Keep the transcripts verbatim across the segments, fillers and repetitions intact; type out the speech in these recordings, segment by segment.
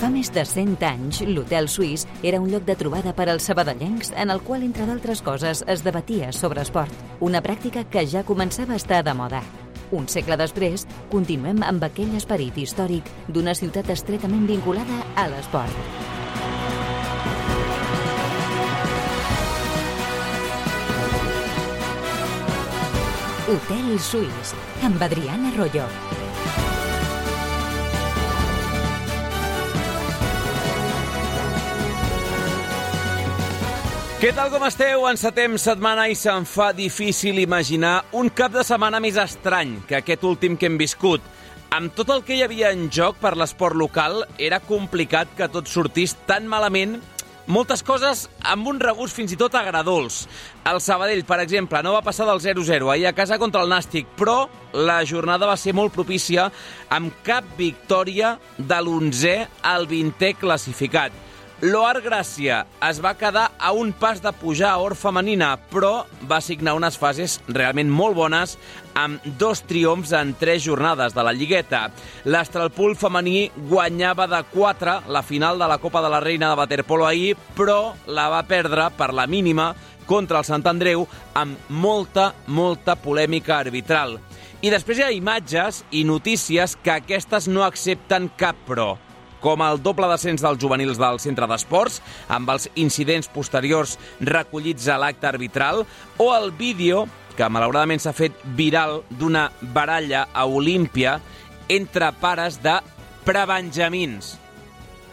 Fa més de cent anys, l'Hotel Suís era un lloc de trobada per als sabadellencs en el qual, entre d'altres coses, es debatia sobre esport, una pràctica que ja començava a estar de moda. Un segle després, continuem amb aquell esperit històric d'una ciutat estretament vinculada a l'esport. Hotel Suís, amb Adriana Arroyo. Què tal, com esteu? Encetem setmana i se'm fa difícil imaginar un cap de setmana més estrany que aquest últim que hem viscut. Amb tot el que hi havia en joc per l'esport local, era complicat que tot sortís tan malament. Moltes coses amb un regust fins i tot agradols. El Sabadell, per exemple, no va passar del zero zero ahir a casa contra el Nàstic, però la jornada va ser molt propícia amb cap victòria de l'onzè al vintè classificat. L'Oar Gràcia es va quedar a un pas de pujar a Or femenina, però va signar unes fases realment molt bones amb dos triomfs en tres jornades de la Lligueta. L'Estralpul femení guanyava de quatre la final de la Copa de la Reina de waterpolo ahir, però la va perdre per la mínima contra el Sant Andreu amb molta, molta polèmica arbitral. I després hi ha imatges i notícies que aquestes no accepten cap pro, com el doble descens dels juvenils del centre d'esports, amb els incidents posteriors recollits a l'acte arbitral, o el vídeo, que malauradament s'ha fet viral, d'una baralla a Olímpia entre pares de prebenjamins.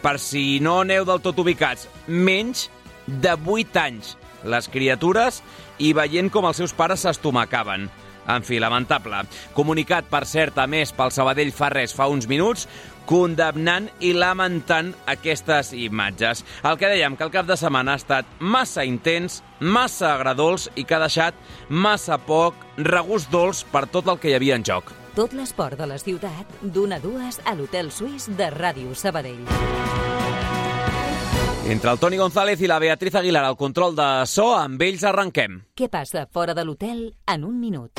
Per si no aneu del tot ubicats, menys de vuit anys, les criatures, i veient com els seus pares s'estomacaven. En fi, lamentable. Comunicat, per cert, a més, pel Sabadell fa res, fa uns minuts, condemnant i lamentant aquestes imatges. El que dèiem, que el cap de setmana ha estat massa intens, massa agradols i que ha deixat massa poc regust dolç per tot el que hi havia en joc. Tot l'esport de la ciutat, d'una a dues a l'Hotel Suís de Ràdio Sabadell. Entre el Toni González i la Beatriz Aguilar al control de so, amb ells arrenquem. Què passa fora de l'hotel en un minut?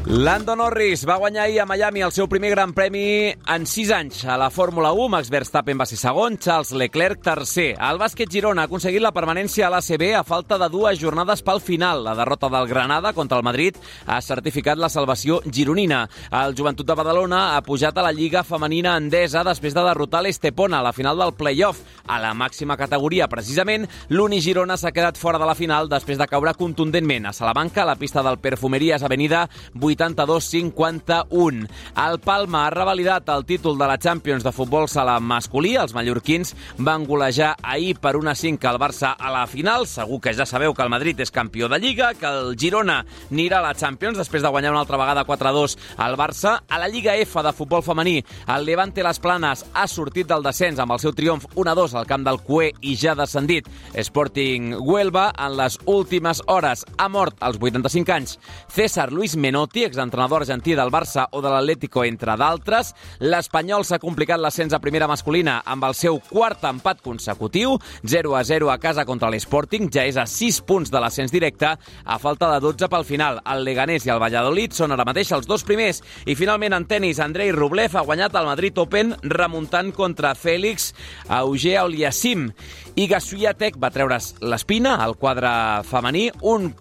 Lando Norris va guanyar ahir a Miami el seu primer gran premi en sis anys. A la Fórmula u, Max Verstappen va ser segon, Charles Leclerc tercer. El bàsquet Girona ha aconseguit la permanència a l'A C B a falta de dues jornades pel final. La derrota del Granada contra el Madrid ha certificat la salvació gironina. El Joventut de Badalona ha pujat a la Lliga Femenina Endesa després de derrotar l'Estepona a la final del play-off. A la màxima categoria, precisament, l'Uni Girona s'ha quedat fora de la final després de caure contundentment a Salamanca, a la pista del Perfumerías Avenida vuitanta-dos cinquanta-un. El Palma ha revalidat el títol de la Champions de futbol sala masculí. Els mallorquins van golejar ahir per un a cinc al Barça a la final. Segur que ja sabeu que el Madrid és campió de Lliga, que el Girona anirà a la Champions després de guanyar una altra vegada quatre a dos al Barça. A la Lliga F de futbol femení, el Levante Las Planes ha sortit del descens amb el seu triomf un a dos al camp del Cué i ja descendit Sporting Huelva. En les últimes hores ha mort als vuitanta-cinc anys César Luis Menotti, exentrenador argentí del Barça o de l'Atlético, entre d'altres. L'Espanyol s'ha complicat l'ascens a primera masculina amb el seu quart empat consecutiu, zero a zero a casa contra l'Sporting, ja és a sis punts de l'ascens directe, a falta de dotze pel final. El Leganés i el Valladolid són ara mateix els dos primers. I finalment en tenis, Andrei Rublev ha guanyat el Madrid Open remuntant contra Félix Auger-Aliassime. I Swiatek va treure's l'espina al quadre femení un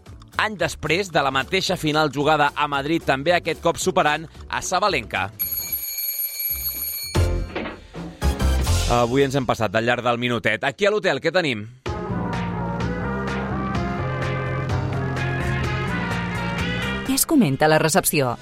any després de la mateixa final jugada a Madrid, també aquest cop superant a Sabalenka. Avui ens hem passat al llarg del minutet. Aquí a l'hotel, què tenim? Què es comenta a la recepció?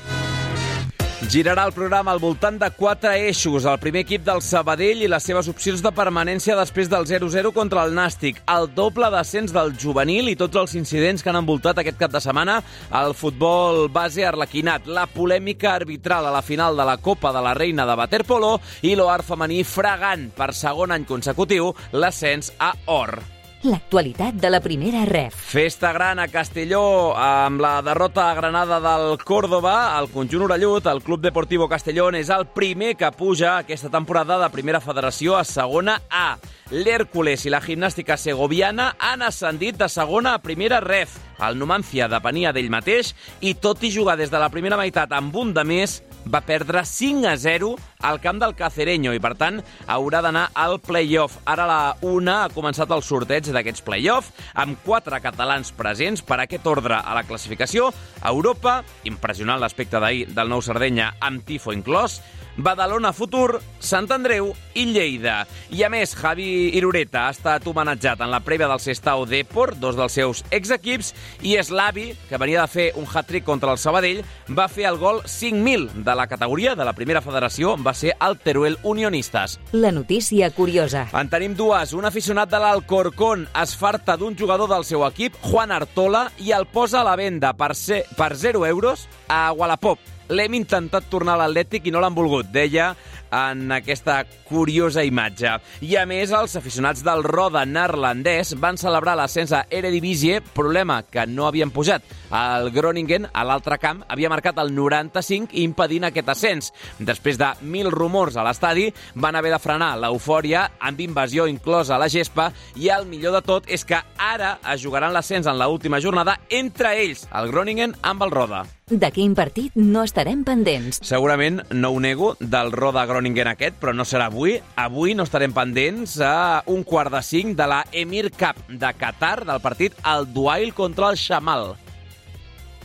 Girarà el programa al voltant de quatre eixos. El primer equip del Sabadell i les seves opcions de permanència després del zero zero contra el Nàstic. El doble descens del juvenil i tots els incidents que han envoltat aquest cap de setmana al futbol base arlequinat. La polèmica arbitral a la final de la Copa de la Reina de waterpolo i l'Oar femení fregant per segon any consecutiu l'ascens a Or. L'actualitat de la primera ref. Festa gran a Castelló amb la derrota a Granada del Córdoba. El conjunt orellut, el Club Deportivo Castellón, és el primer que puja aquesta temporada de primera federació a segona A. L'Hèrcules i la gimnàstica segoviana han ascendit de segona a primera ref. El Numancia depenia d'ell mateix i, tot i jugar des de la primera meitat amb un de més, va perdre cinc a zero al camp del Cacereño i, per tant, haurà d'anar al play-off. Ara a la una ha començat el sorteig d'aquests play-off amb quatre catalans presents per aquest ordre a la classificació. Europa, impressionant l'aspecte d'ahir del Nou Sardenya amb tifo inclòs, Badalona Futur, Sant Andreu i Lleida. I a més, Javi Irureta ha estat homenatjat en la prèvia del Sestao Depor, dos dels seus exequips, i Slavi, que venia de fer un hat-trick contra el Sabadell, va fer el gol cinc mil de la categoria de la primera federació, va ser el Teruel Unionistes. La notícia curiosa. En tenim dues. Un aficionat de l'Alcorcón es farta d'un jugador del seu equip, Juan Artola, i el posa a la venda per, ser, per zero euros a Wallapop. L'hem intentat tornar a l'Atlètic i no l'han volgut, deia en aquesta curiosa imatge. I a més, els aficionats del Roda neerlandès van celebrar l'ascens a Eredivisie, problema que no havien pujat. El Groningen, a l'altre camp, havia marcat el noranta-cinc impedint aquest ascens. Després de mil rumors a l'estadi, van haver de frenar l'eufòria amb invasió inclosa a la gespa i el millor de tot és que ara es jugaran l'ascens en l'última jornada entre ells, el Groningen amb el Roda. De quin partit no estarem pendents? Segurament, no ho nego, del Roda Groningen aquest, però no serà avui. Avui no estarem pendents a un quart de cinc de la Emir Cup de Qatar, del partit Al Duail contra el Shamal.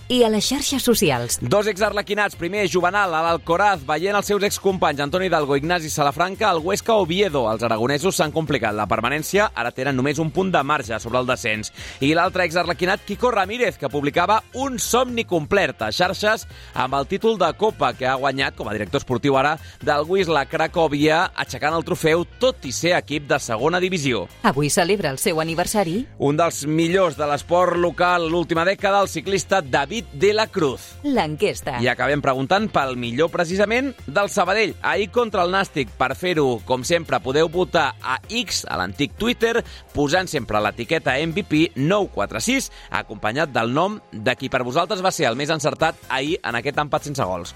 I a les xarxes socials. Dos exarlequinats. Primer, Juvenal, a l'Alcoraz, veient els seus excompanys Antoni Hidalgo i Ignasi Salafranca, el Huesca Oviedo. Els aragonesos s'han complicat la permanència, ara tenen només un punt de marge sobre el descens. I l'altre exarlequinat, Quico Ramírez, que publicava un somni complet a xarxes amb el títol de Copa que ha guanyat com a director esportiu ara del Wisla Cracòvia, aixecant el trofeu tot i ser equip de segona divisió. Avui celebra el seu aniversari. Un dels millors de l'esport local l'última dècada, el ciclista David de la Cruz. L'enquesta. I acabem preguntant pel millor precisament del Sabadell. Ahir contra el Nàstic. Per fer-ho, com sempre, podeu votar a X, a l'antic Twitter, posant sempre l'etiqueta M V P nou quatre sis, acompanyat del nom de qui per vosaltres va ser el més encertat ahir en aquest empat sense gols.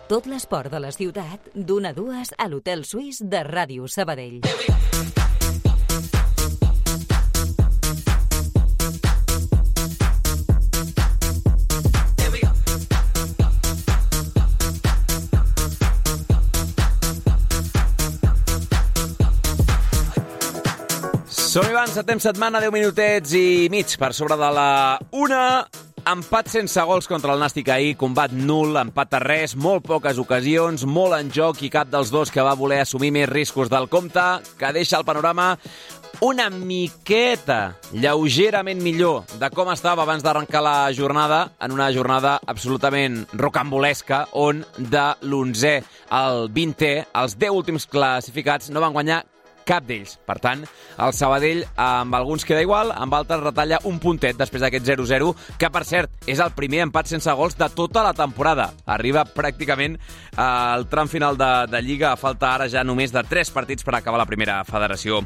Tot l'esport de la ciutat, d'una a dues a l'Hotel Suís de Ràdio Sabadell. Som-hi, van, setem setmana, deu minutets i mig per sobre de la una. Empat sense gols contra el Nàstic ahir, combat nul, empat a res, molt poques ocasions, molt en joc i cap dels dos que va voler assumir més riscos del compte, que deixa el panorama una miqueta, lleugerament millor de com estava abans d'arrencar la jornada, en una jornada absolutament rocambolesca, on de l'onzè al vintè, els deu últims classificats no van guanyar cap d'ells. Per tant, el Sabadell amb alguns queda igual, amb altres retalla un puntet després d'aquest zero zero, que per cert és el primer empat sense gols de tota la temporada. Arriba pràcticament al tram final de, de Lliga, a falta ara ja només de tres partits per acabar la primera federació.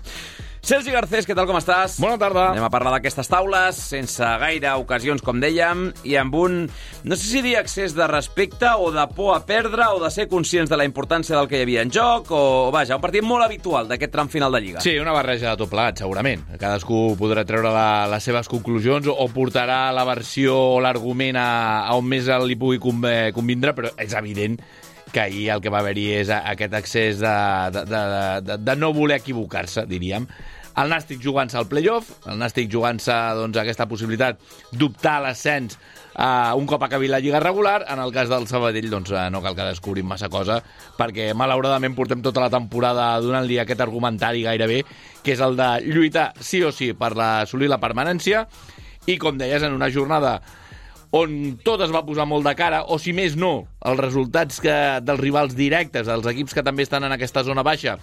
Sergi Garcés, què tal, com estàs? Bona tarda. Anem a parlar d'aquestes taules, sense gaire ocasions, com dèiem, i amb un, no sé si dir excés de respecte o de por a perdre o de ser conscients de la importància del que hi havia en joc, o, vaja, un partit molt habitual d'aquest tram final de Lliga. Sí, una barreja de tot plegat, segurament. Cadascú podrà treure la, les seves conclusions o portarà la versió o l'argument a, a on més li pugui convindre, però és evident que ahir el que va haver-hi és aquest excés de, de, de, de, de no voler equivocar-se, diríem. El Nàstic jugant-se al play-off, el Nàstic jugant-se doncs, aquesta possibilitat d'optar a l'ascens uh, un cop acabi la Lliga regular. En el cas del Sabadell doncs, uh, no cal que descobrim massa cosa, perquè malauradament portem tota la temporada donant-li aquest argumentari gairebé, que és el de lluitar sí o sí per la, assolir la permanència, i com deies, en una jornada on tot es va posar molt de cara, o si més no, els resultats que, dels rivals directes, els equips que també estan en aquesta zona baixa,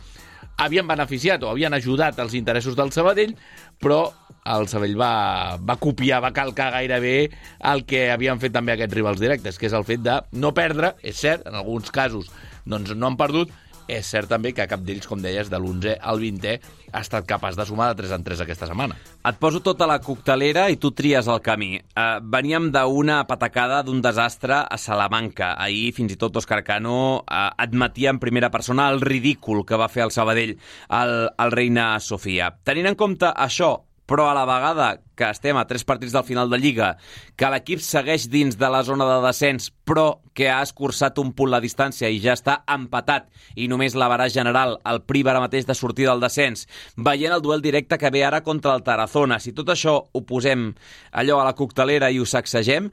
havien beneficiat o havien ajudat els interessos del Sabadell, però el Sabadell va, va copiar, va calcar gairebé el que havien fet també aquests rivals directes, que és el fet de no perdre. És cert, en alguns casos doncs no han perdut. És cert també que cap d'ells, com deies, de l'onzè al vintè, ha estat capaç de sumar de tres en tres aquesta setmana. Et poso tota la coctelera i tu tries el camí. Uh, veníem d'una patacada, d'un desastre a Salamanca. Ahir, fins i tot, Òscar Cano uh, admetia en primera persona el ridícul que va fer el Sabadell al, al Reina Sofia. Tenint en compte això, però a la vegada que estem a tres partits del final de Lliga, que l'equip segueix dins de la zona de descens, però que ha escurçat un punt la distància i ja està empatat, i només l'avaràs general el priva ara mateix de sortir del descens, veient el duel directe que ve ara contra el Tarazona. Si tot això ho posem allò a la coctelera i ho sacsegem,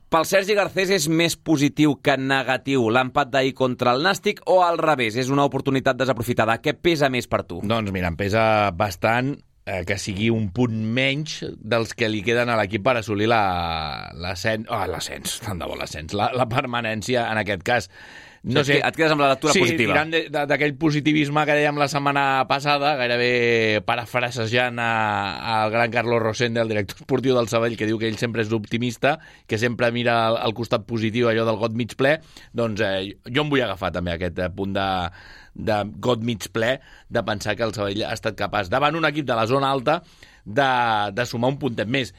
pel Sergi Garcés és més positiu que negatiu l'empat d'ahir contra el Nàstic, o al revés, és una oportunitat desaprofitada? Què pesa més per tu? Doncs mira, em pesa bastant eh, que sigui un punt menys dels que li queden a l'equip per assolir l'ascens, oh, l'ascens, tant de bo l'ascens, la, la permanència en aquest cas. No sé, et quedes amb la lectura sí, positiva. Sí, tirant d'aquell positivisme que dèiem la setmana passada, gairebé parafrasejant al gran Carlos Rosende, el director esportiu del Sabadell, que diu que ell sempre és optimista, que sempre mira al, al costat positiu, allò del got mig ple, doncs eh, jo em vull agafar també aquest punt de, de got mig ple, de pensar que el Sabadell ha estat capaç, davant un equip de la zona alta, de, de sumar un puntet més.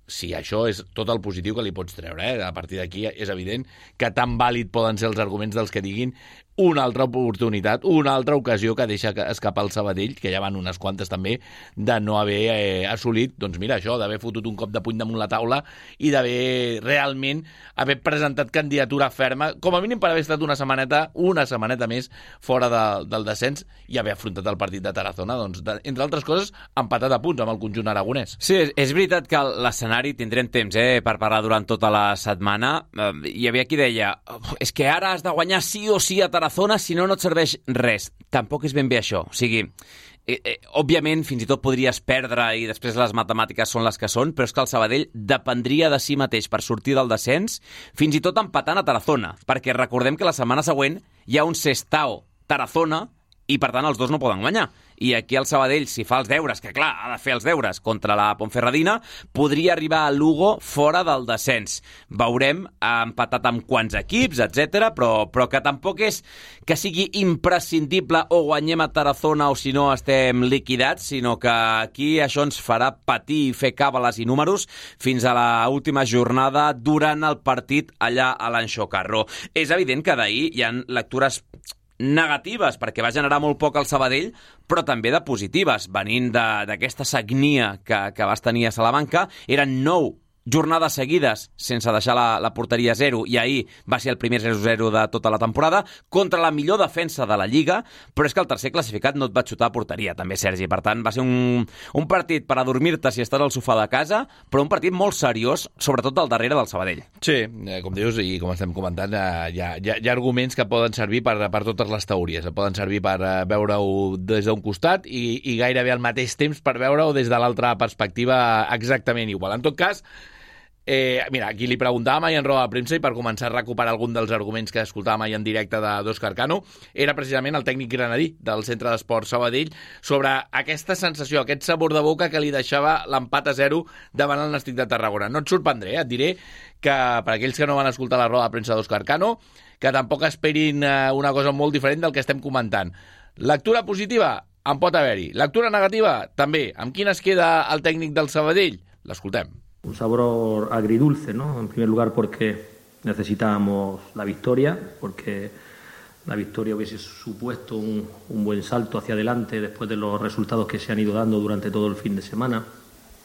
Sí, això és tot el positiu que li pots treure. Eh? A partir d'aquí és evident que tan vàlid poden ser els arguments dels que diguin una altra oportunitat, una altra ocasió que deixa escapar el Sabadell, que ja van unes quantes també, de no haver eh, assolit, doncs mira, això, d'haver fotut un cop de puny damunt la taula i d'haver realment haver presentat candidatura ferma, com a mínim per haver estat una setmaneta, una setmaneta més fora de, del descens i haver afrontat el partit de Tarazona, doncs, de, entre altres coses, empatat a punts amb el conjunt aragonès. Sí, és, és veritat que l'escenari tindrem temps eh, per parlar durant tota la setmana. Eh, hi havia qui deia, oh, és que ara has de guanyar sí o sí a Tarazona, si no, no et serveix res. Tampoc és ben bé això. O sigui, eh, eh, òbviament, fins i tot podries perdre i després les matemàtiques són les que són, però és que el Sabadell dependria de si mateix per sortir del descens, fins i tot empatant a Tarazona, perquè recordem que la setmana següent hi ha un Sestao Tarazona i, per tant, els dos no poden guanyar. I aquí el Sabadell, si fa els deures, que clar, ha de fer els deures contra la Ponferradina, podria arribar a Lugo fora del descens. Veurem, ha empatat amb quants equips, etcètera, però, però que tampoc és que sigui imprescindible o guanyem a Tarazona o si no estem liquidats, sinó que aquí això ens farà patir i fer càbales i números fins a l'última jornada durant el partit allà a l'Anxo Carro. És evident que d'ahir hi ha lectures negatives, perquè va generar molt poc al Sabadell, però també de positives, venint d'aquesta sagnia que, que vas tenir a Salamanca. Eren nou jornades seguides sense deixar la, la porteria a zero, i ahir va ser el primer zero zero de tota la temporada contra la millor defensa de la Lliga, però és que el tercer classificat no et va xutar a porteria, també, Sergi. Per tant, va ser un, un partit per adormir-te si estàs al sofà de casa, però un partit molt seriós, sobretot del darrere del Sabadell. Sí, eh, com dius, i com estem comentant, eh, hi, ha, hi, ha, hi ha arguments que poden servir per, per totes les teories. Poden servir per eh, veure-ho des d'un costat i, i gairebé al mateix temps per veure-ho des de l'altra perspectiva exactament igual. En tot cas, Eh, mira, aquí li preguntàvem ahir en roda de premsa, i per començar a recuperar algun dels arguments que escoltàvem ahir en directe d'Òscar Cano, era precisament el tècnic granadí del Centre d'Esports Sabadell sobre aquesta sensació, aquest sabor de boca que li deixava l'empat a zero davant el Nàstic de Tarragona. No et sorprendré, eh? Et diré que per aquells que no van escoltar la roda de premsa d'Òscar Cano, que tampoc esperin eh, una cosa molt diferent del que estem comentant. Lectura positiva? En pot haver-hi. Lectura negativa? També. Amb quina es queda el tècnic del Sabadell? L'escoltem. Un sabor agridulce, ¿no? En primer lugar porque necesitábamos la victoria, porque la victoria hubiese supuesto un, un buen salto hacia adelante después de los resultados que se han ido dando durante todo el fin de semana.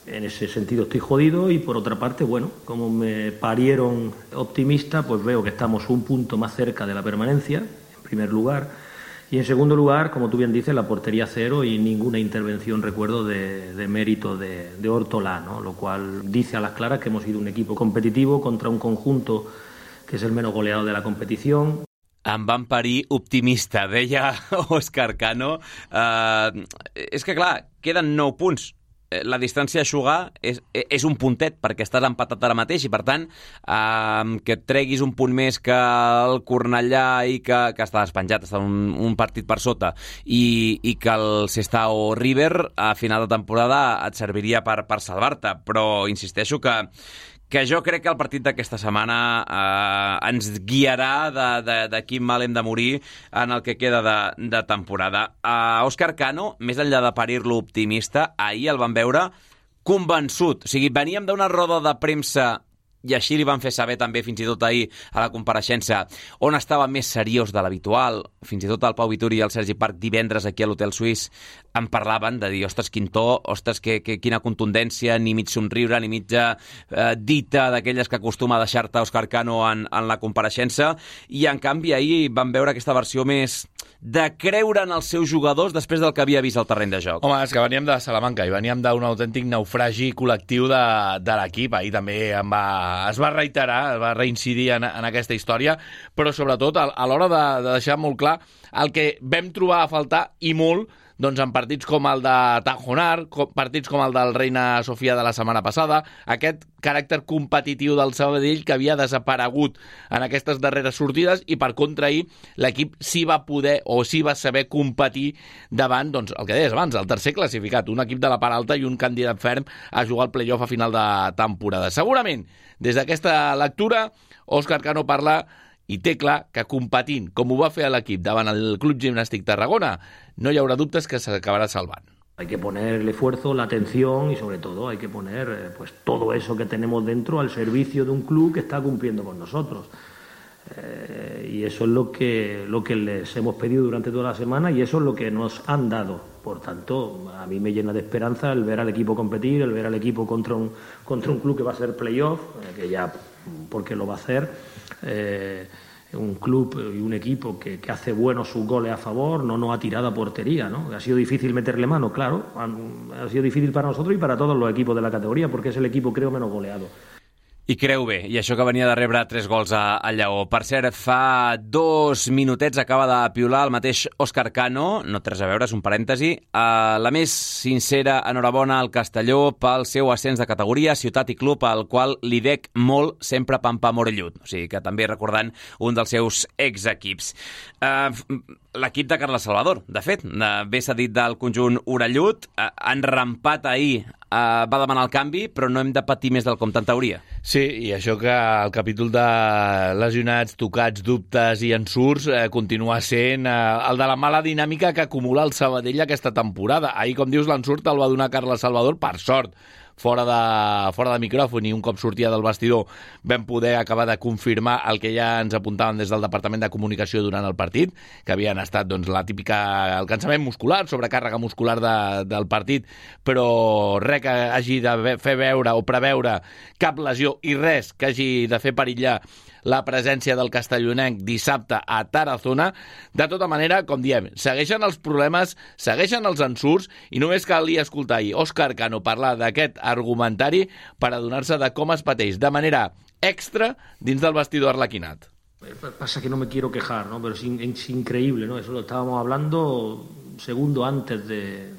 En ese sentido estoy jodido, y por otra parte, bueno, como me parieron optimista, pues veo que estamos un punto más cerca de la permanencia, en primer lugar. Y en segundo lugar, como tú bien dices, la portería cero y ninguna intervención, recuerdo, de, de mérito de, de Ortolà, ¿no? Lo cual dice a las claras que hemos sido un equipo competitivo contra un conjunto que es el menos goleado de la competición. Em van parir optimista, deia Òscar Cano. Uh, és que, clar, queden nou punts. La distància a eixugar és, és un puntet, perquè estàs empatat ara mateix, i per tant eh, que et treguis un punt més que el Cornellà i que, que està despenjat, està un, un partit per sota, i, i que el Sestao River a final de temporada et serviria per, per salvar-te. Però insisteixo que que jo crec que el partit d'aquesta setmana eh, ens guiarà de, de, de quin mal hem de morir en el que queda de, de temporada. Uh, Òscar Cano, més enllà de parir-lo optimista, ahir el van veure convençut. O sigui, veníem d'una roda de premsa i així li van fer saber també fins i tot ahir a la compareixença on estava més seriós de l'habitual. Fins i tot el Pau Vituri i el Sergi Parc divendres aquí a l'Hotel Suís en parlaven de dir, ostres, quin to, ostres, que, que, quina contundència, ni mig somriure, ni mitja eh, dita d'aquelles que acostuma a deixar-te Òscar Cano en, en la compareixença, i en canvi ahir van veure aquesta versió més de creure en els seus jugadors després del que havia vist al terreny de joc. Home, és que veníem de Salamanca i veníem d'un autèntic naufragi col·lectiu de, de l'equip. Ahir també em va, es va reiterar, es va reincidir en, en aquesta història, però sobretot a, a l'hora de, de deixar molt clar el que vam trobar a faltar, i molt, doncs en partits com el de Tajonar, partits com el del Reina Sofia de la setmana passada, aquest caràcter competitiu del Sabadell que havia desaparegut en aquestes darreres sortides, i per contra ahir l'equip sí va poder o sí va saber competir davant, doncs, el que deies abans, el tercer classificat, un equip de la part alta i un candidat ferm a jugar al play-off a final de temporada. Segurament, des d'aquesta lectura, Òscar Cano parla i té clar que competint, com ho va fer a l'equip davant el Club Gimnàstic Tarragona, no hi haurà dubtes que s'acabarà salvant. Hay que poner el esfuerzo, la atención y sobre todo hay que poner eh, pues todo eso que tenemos dentro al servicio de un club que está cumpliendo con nosotros. Eh, y eso es lo que, lo que les hemos pedido durante toda la semana y eso es lo que nos han dado. Por tanto, a mí me llena de esperanza el ver al equipo competir, el ver al equipo contra un, contra un club que va a ser playoff, eh, que ya porque lo va a hacer. Eh, un club y un equipo que, que hace buenos sus goles a favor, no nos ha tirado a portería, ¿no? Ha sido difícil meterle mano, claro, ha, ha sido difícil para nosotros y para todos los equipos de la categoría, porque es el equipo, creo, menos goleado. I creu bé, i això que venia de rebre tres gols a, a Lleó. Per cert, fa dos minutets acaba de piular el mateix Òscar Cano, no té res a veure, és un parèntesi. Uh, la més sincera enhorabona al Castelló pel seu ascens de categoria, ciutat i club, al qual li dec molt sempre Pampa Morellut. O sigui que també recordant un dels seus exequips. Uh, L'equip de Carles Salvador, de fet, bé s'ha dit del conjunt orellut, uh, han rampat ahir, uh, va demanar el canvi, però no hem de patir més del compte en teoria. Sí, i això que el capítol de lesionats, tocats, dubtes i ensurts eh, continua sent eh, el de la mala dinàmica que acumula el Sabadell aquesta temporada. Ahir, com dius, l'ensurt el va donar Carles Salvador, per sort, fora de, fora de micròfon, i un cop sortia del vestidor vam poder acabar de confirmar el que ja ens apuntaven des del Departament de Comunicació durant el partit, que havien estat doncs, la típica, el cansament muscular, sobrecàrrega muscular de, del partit, però res que hagi de fer veure o preveure cap lesió i res que hagi de fer perillar la presència del castellonenc dissabte a Tarazona. De tota manera, com diem, segueixen els problemes, segueixen els ensurts, i només calia escoltar ahir Òscar Cano parlar d'aquest argumentari per adonar-se de com es pateix de manera extra dins del vestidor arlequinat. Pasa que no me quiero quejar, ¿no? Pero es, in, es increíble, ¿no? Eso lo estábamos hablando segundo antes de,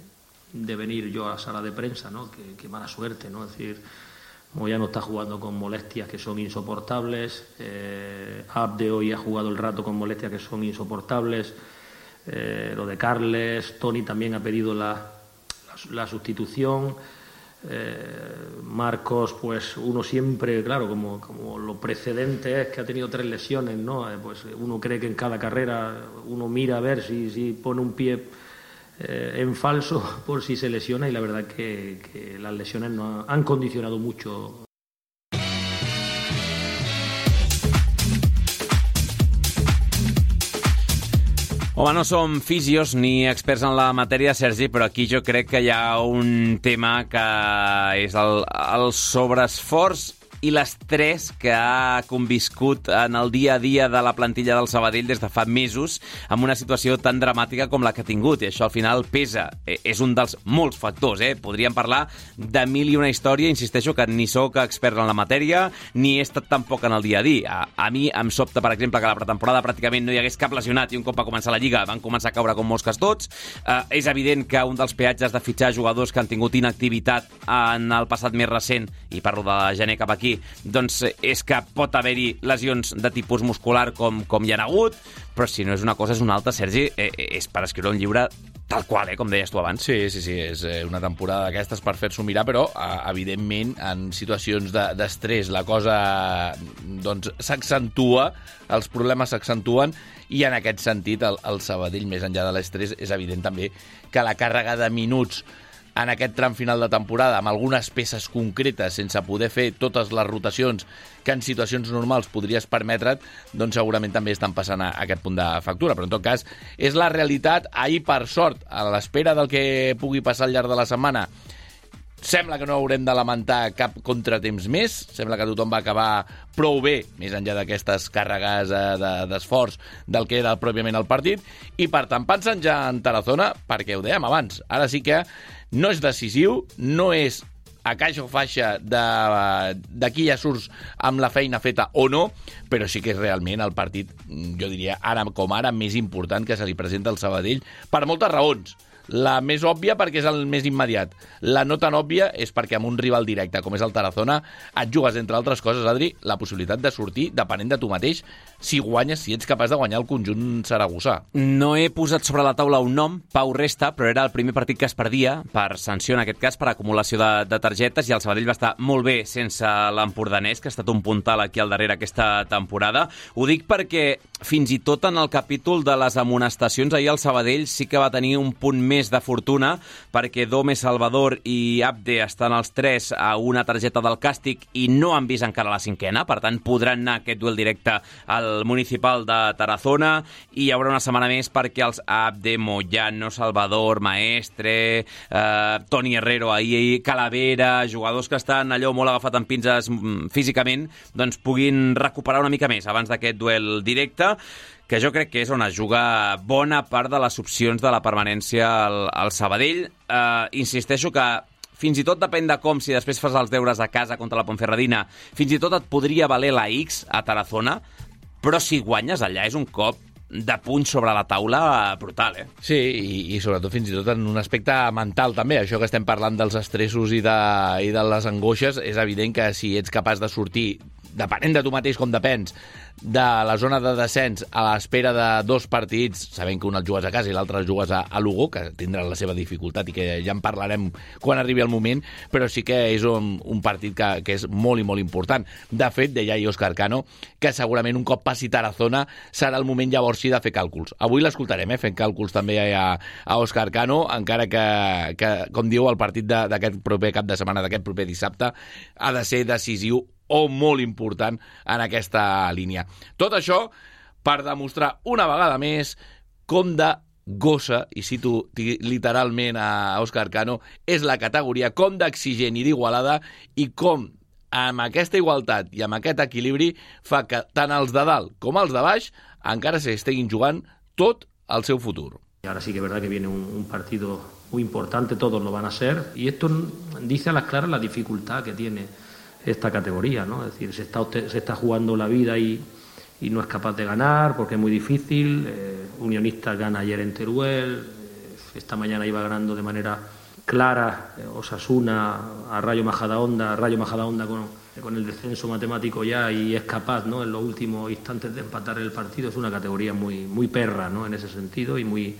de venir yo a la sala de prensa, ¿no? Qué, qué mala suerte, ¿no? Es decir, como ya no está jugando con molestias que son insoportables, eh, Abde hoy ha jugado el rato con molestias que son insoportables, eh, lo de Carles, Toni también ha pedido la, la, la sustitución, eh, Marcos, pues uno siempre, claro, como, como lo precedente es que ha tenido tres lesiones, ¿no? Eh, pues uno cree que en cada carrera uno mira a ver si, si pone un pie Eh, en falso por si se lesiona, y la verdad que, que las lesiones no han condicionado mucho. Home, no som físios ni experts en la matèria, Sergi, però aquí jo crec que hi ha un tema que és el, el sobreesforç i l'estrès que ha conviscut en el dia a dia de la plantilla del Sabadell des de fa mesos amb una situació tan dramàtica com la que ha tingut, i això al final pesa. És un dels molts factors, eh? Podríem parlar de mil i una història, insisteixo que ni sóc expert en la matèria ni he estat tampoc en el dia a dia. A, a mi em sobta, per exemple, que a la pretemporada pràcticament no hi hagués cap lesionat, i un cop va començar la Lliga van començar a caure com mosques tots. Eh, és evident que un dels peatges de fitxar jugadors que han tingut inactivitat en el passat més recent, i parlo de gener cap aquí, doncs és que pot haver-hi lesions de tipus muscular com, com hi ha hagut, però si no és una cosa és una altra, Sergi, eh, és per escriure un llibre tal qual, eh, com deies tu abans. Sí, sí, sí, és una temporada d'aquestes per fer-s'ho mirar, però evidentment en situacions de, d'estrès la cosa doncs s'accentua, els problemes s'accentuen, i en aquest sentit el, el Sabadell, més enllà de l'estrès, és evident també que la càrrega de minuts en aquest tram final de temporada, amb algunes peces concretes, sense poder fer totes les rotacions que en situacions normals podries permetre't, doncs segurament també estan passant a aquest punt de factura. Però en tot cas, és la realitat. Ahir, per sort, a l'espera del que pugui passar al llarg de la setmana, sembla que no haurem de lamentar cap contratemps més, sembla que tothom va acabar prou bé, més enllà d'aquestes càrregues d'esforç del que era pròpiament el partit, i per tant pensant ja en Tarazona, perquè ho dèiem abans, ara sí que no és decisiu, no és a caixa o faixa d'aquí ja surts amb la feina feta o no, però sí que és realment el partit, jo diria, ara com ara, més important que se li presenta al Sabadell, per moltes raons. La més òbvia perquè és el més immediat. La no tan òbvia és perquè amb un rival directe com és el Tarazona et jugues, entre altres coses, Adri, la possibilitat de sortir depenent de tu mateix si guanyes, si ets capaç de guanyar el conjunt saragossà. No he posat sobre la taula un nom, Pau Resta, però era el primer partit que es perdia per sanció, en aquest cas, per acumulació de, de targetes, i el Sabadell va estar molt bé sense l'empordanès, que ha estat un puntal aquí al darrere aquesta temporada. Ho dic perquè fins i tot en el capítol de les amonestacions, ahir el Sabadell sí que va tenir un punt més de fortuna, perquè Dome, Salvador i Abde estan els tres a una targeta del càstig i no han vist encara la cinquena, per tant podran anar a aquest duel directe al municipal de Tarazona, i hi haurà una setmana més perquè els Abde, Moyano, Salvador, Maestre, eh, Toni Herrero, ahir, Calavera, jugadors que estan allò molt agafat en pinces físicament, doncs puguin recuperar una mica més abans d'aquest duel directe, que jo crec que és on es juga bona part de les opcions de la permanència al, al Sabadell. Eh, insisteixo que fins i tot depèn de com, si després fas els deures a casa contra la Ponferradina, fins i tot et podria valer la X a Tarazona, però si guanyes allà és un cop de puny sobre la taula brutal, eh? Sí, i, i sobretot fins i tot en un aspecte mental també, això que estem parlant dels estressos i de, i de les angoixes, és evident que si ets capaç de sortir, depenent de tu mateix com depens, de la zona de descens a l'espera de dos partits, sabent que un el jugues a casa i l'altre el jugues a, a Lugo, que tindran la seva dificultat i que ja en parlarem quan arribi el moment, però sí que és un, un partit que, que és molt i molt important. De fet, deia ahir Òscar Cano, que segurament un cop passi Tarazona serà el moment llavors sí de fer càlculs. Avui l'escoltarem, eh, fent càlculs també a, a Òscar Cano, encara que, que, com diu, el partit d'aquest proper cap de setmana, d'aquest proper dissabte, ha de ser decisiu o molt important en aquesta línia. Tot això per demostrar una vegada més com de gossa, i cito literalment a Òscar Cano, és la categoria, com d'exigent i d'igualada, i com amb aquesta igualtat i amb aquest equilibri fa que tant els de dalt com els de baix encara s'estiguin jugant tot el seu futur. Y ahora sí que es verdad que viene un, un partido muy importante, todos lo van a ser, y esto dice a las claras la dificultad que tiene esta categoría, ¿no? Es decir, se está, se está jugando la vida y, y no es capaz de ganar porque es muy difícil. Eh, Unionistas gana ayer en Teruel, eh, esta mañana iba ganando de manera clara eh, Osasuna a Rayo Majadahonda, Rayo Majadahonda con, con el descenso matemático ya, y es capaz, ¿no?, en los últimos instantes de empatar el partido. Es una categoría muy, muy perra, ¿no?, en ese sentido, y muy,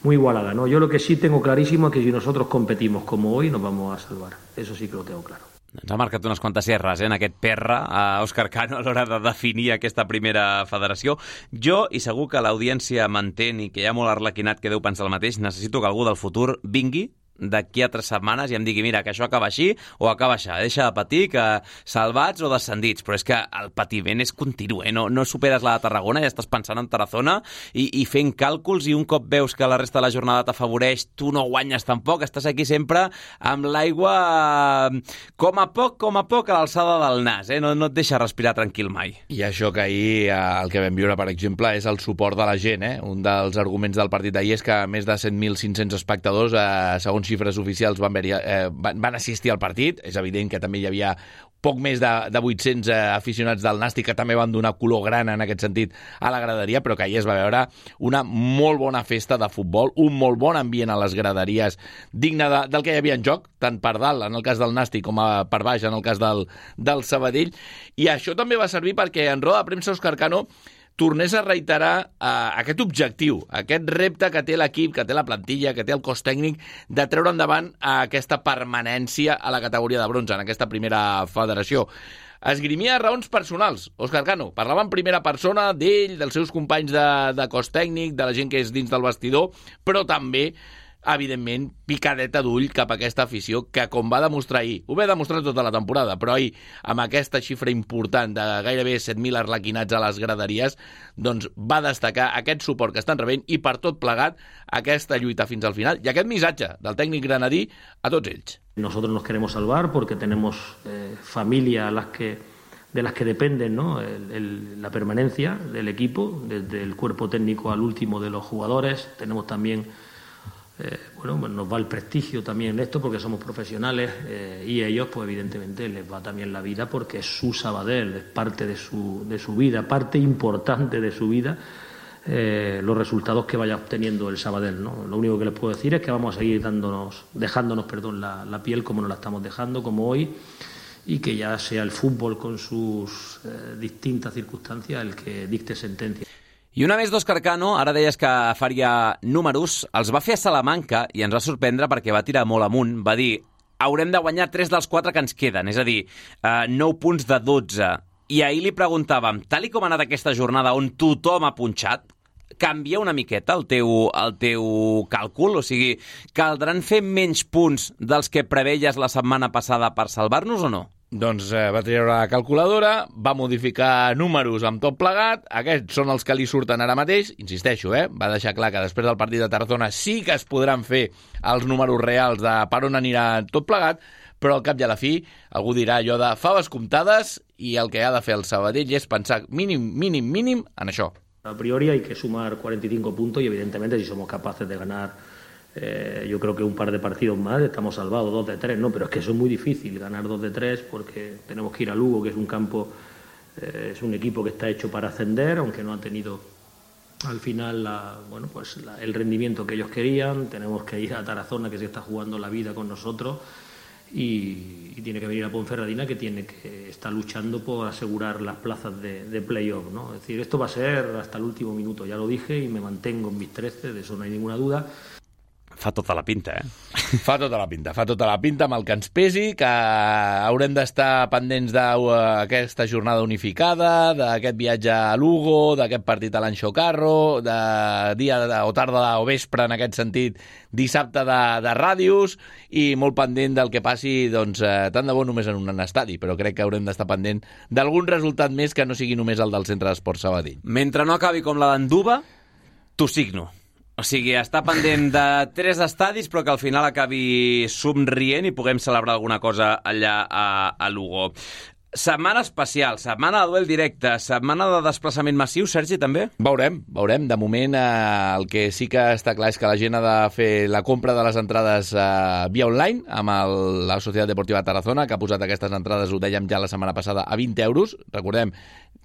muy igualada, ¿no? Yo lo que sí tengo clarísimo es que si nosotros competimos como hoy nos vamos a salvar. Eso sí que lo tengo claro. Ens ha marcat unes quantes erres, eh, en aquest perra, a Òscar Cano, a l'hora de definir aquesta primera federació. Jo, i segur que l'audiència m'entén i que hi ha molt arlequinat que deu pensar el mateix, necessito que algú del futur vingui d'aquí a tres setmanes i em digui, mira, que això acaba així o acaba així, deixa de patir, que salvats o descendits, però és que el patiment és continu, eh? no, no superes la de Tarragona, ja estàs pensant en Tarazona i, i fent càlculs, i un cop veus que la resta de la jornada t'afavoreix, tu no guanyes tampoc, estàs aquí sempre amb l'aigua com a poc, com a poc a l'alçada del nas, eh? no, no et deixa respirar tranquil mai. I això que ahir el que vam viure, per exemple, és el suport de la gent, eh? Un dels arguments del partit d'ahir és que més de set mil cinc-cents espectadors, eh, segons xifres oficials, van, ver, eh, van, van assistir al partit. És evident que també hi havia poc més de, de vuit-cents eh, aficionats del Nàstic que també van donar color gran en aquest sentit a la graderia, però que ahir es va veure una molt bona festa de futbol, un molt bon ambient a les graderies, digne de, del que hi havia en joc, tant per dalt, en el cas del Nàstic, com a per baix, en el cas del, del Sabadell. I això també va servir perquè en roda de premsa Òscar Cano tornés a reiterar uh, aquest objectiu, aquest repte que té l'equip, que té la plantilla, que té el cos tècnic, de treure endavant uh, aquesta permanència a la categoria de bronze, en aquesta primera federació. Esgrimia raons personals, Òscar Cano. Parlava en primera persona d'ell, dels seus companys de, de cos tècnic, de la gent que és dins del vestidor, però també evidentment, picadeta d'ull cap a aquesta afició que, com va demostrar ahir, ho va demostrar tota la temporada, però ahir, amb aquesta xifra important de gairebé set mil arlequinats a les graderies, doncs va destacar aquest suport que estan rebent i, per tot plegat, aquesta lluita fins al final i aquest missatge del tècnic granadí a tots ells. Nosotros nos queremos salvar porque tenemos eh, familia a las que, de las que dependen, ¿no? el, el, la permanencia del equipo, desde el cuerpo técnico al último de los jugadores. Tenemos también Eh, bueno, pues nos va el prestigio también esto porque somos profesionales eh, y ellos pues evidentemente les va también la vida porque es su Sabadell, es parte de su, de su vida, parte importante de su vida eh, los resultados que vaya obteniendo el Sabadell, ¿no? Lo único que les puedo decir es que vamos a seguir dándonos, dejándonos perdón, la, la piel como nos la estamos dejando, como hoy, y que ya sea el fútbol con sus eh, distintas circunstancias el que dicte sentencia. I una més d'Òscar Cano, ara deies que faria números, els va fer a Salamanca i ens va sorprendre perquè va tirar molt amunt, va dir haurem de guanyar tres dels quatre que ens queden, és a dir, eh, nou punts de dotze. I ahir li preguntàvem, tal i com ha anat aquesta jornada on tothom ha punxat, canvia una miqueta el teu, el teu càlcul? O sigui, caldran fer menys punts dels que preveies la setmana passada per salvar-nos o no? Doncs eh, va treure la calculadora, va modificar números amb tot plegat, aquests són els que li surten ara mateix, insisteixo, eh, va deixar clar que després del partit de Tarazona sí que es podran fer els números reals de per on anirà tot plegat, però al cap i a la fi algú dirà allò de faves comptades i el que ha de fer el Sabadell és pensar mínim, mínim, mínim en això. A priori hay que sumar cuarenta y cinco puntos y evidentemente si somos capaces de ganar Eh, yo creo que un par de partidos más estamos salvados, dos de tres, ¿no? Pero es que eso es muy difícil, ganar dos de tres, porque tenemos que ir a Lugo, que es un campo, eh, es un equipo que está hecho para ascender, aunque no ha tenido al final la, bueno, pues la, el rendimiento que ellos querían. Tenemos que ir a Tarazona, que se está jugando la vida con nosotros, y, y tiene que venir a Ponferradina, que tiene que estar luchando por asegurar las plazas de, de playoff, ¿no? Es decir, esto va a ser hasta el último minuto, ya lo dije, y me mantengo en mis trece, de eso no hay ninguna duda. Fa tota la pinta, eh? Fa tota la pinta, fa tota la pinta amb el que ens pesi, que haurem d'estar pendents d'aquesta jornada unificada, d'aquest viatge a Lugo, d'aquest partit a l'Anxo Carro, de dia de, o tarda o vespre, en aquest sentit, dissabte de, de ràdios, i molt pendent del que passi, doncs, eh, tant de bo només en un estadi, però crec que haurem d'estar pendent d'algun resultat més que no sigui només el del Centre d'Esports Sabadell. Mentre no acabi com la d'Anduba, t'ho signo. O sigui, està pendent de tres estadis, però que al final acabi somrient i puguem celebrar alguna cosa allà a, a Lugo. Setmana especial, setmana de duel directe, setmana de desplaçament massiu, Sergi, també? Veurem, veurem. De moment, eh, el que sí que està clar és que la gent ha de fer la compra de les entrades eh, via online amb el, la Societat Deportiva Tarazona, que ha posat aquestes entrades, ho dèiem ja la setmana passada, a vint euros. Recordem,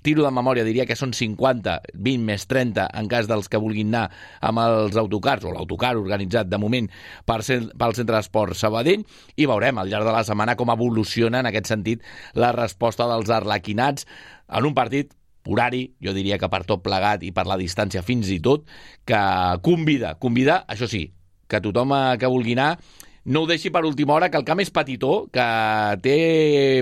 tiro de memòria, diria que són cinquanta, vint més trenta, en cas dels que vulguin anar amb els autocars, o l'autocar organitzat de moment per ser, pel Centre d'Esport Sabadell, i veurem al llarg de la setmana com evoluciona en aquest sentit la resposta dels arlequinats en un partit horari, jo diria que per tot plegat i per la distància fins i tot, que convida, convida, això sí, que tothom que vulgui anar no ho deixi per última hora, que el camp és petitó, que té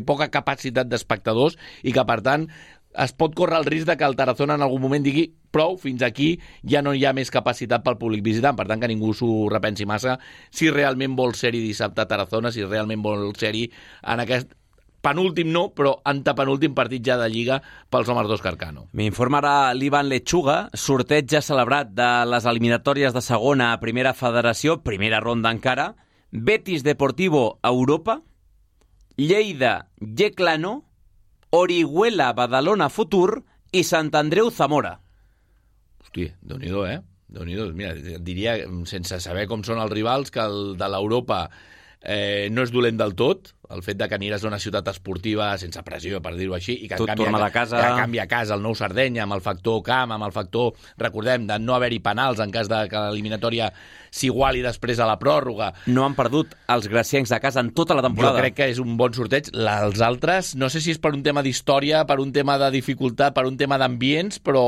poca capacitat d'espectadors i que, per tant, es pot córrer el risc de que el Tarazona en algun moment digui prou, fins aquí ja no hi ha més capacitat pel públic visitant, per tant que ningú s'ho repensi massa si realment vol ser-hi dissabte a Tarazona, si realment vol ser-hi en aquest penúltim no, però antepenúltim partit ja de Lliga pels homes d'Òscar Cano. M'informarà l'Ivan Lechuga, sorteig ja celebrat de les eliminatòries de segona a primera federació, primera ronda encara, Betis Deportivo Europa, Lleida Yeclano, Orihuela Badalona Futur i Sant Andreu Zamora. Hosti, Déu-n'hi-do, eh? Déu-n'hi-do. Mira, diria, sense saber com són els rivals, que el de l'Europa eh, no és dolent del tot, el fet de que aniràs a una ciutat esportiva sense pressió, per dir-ho així, i que tot canvia, torna de casa. que canvia a casa el Nou Sardenya, amb el factor camp, amb el factor, recordem, de no haver-hi penals en cas de que l'eliminatòria s'iguali després a la pròrroga. No han perdut els graciencs de casa en tota la temporada. Jo crec que és un bon sorteig. Els altres, no sé si és per un tema d'història, per un tema de dificultat, per un tema d'ambients, però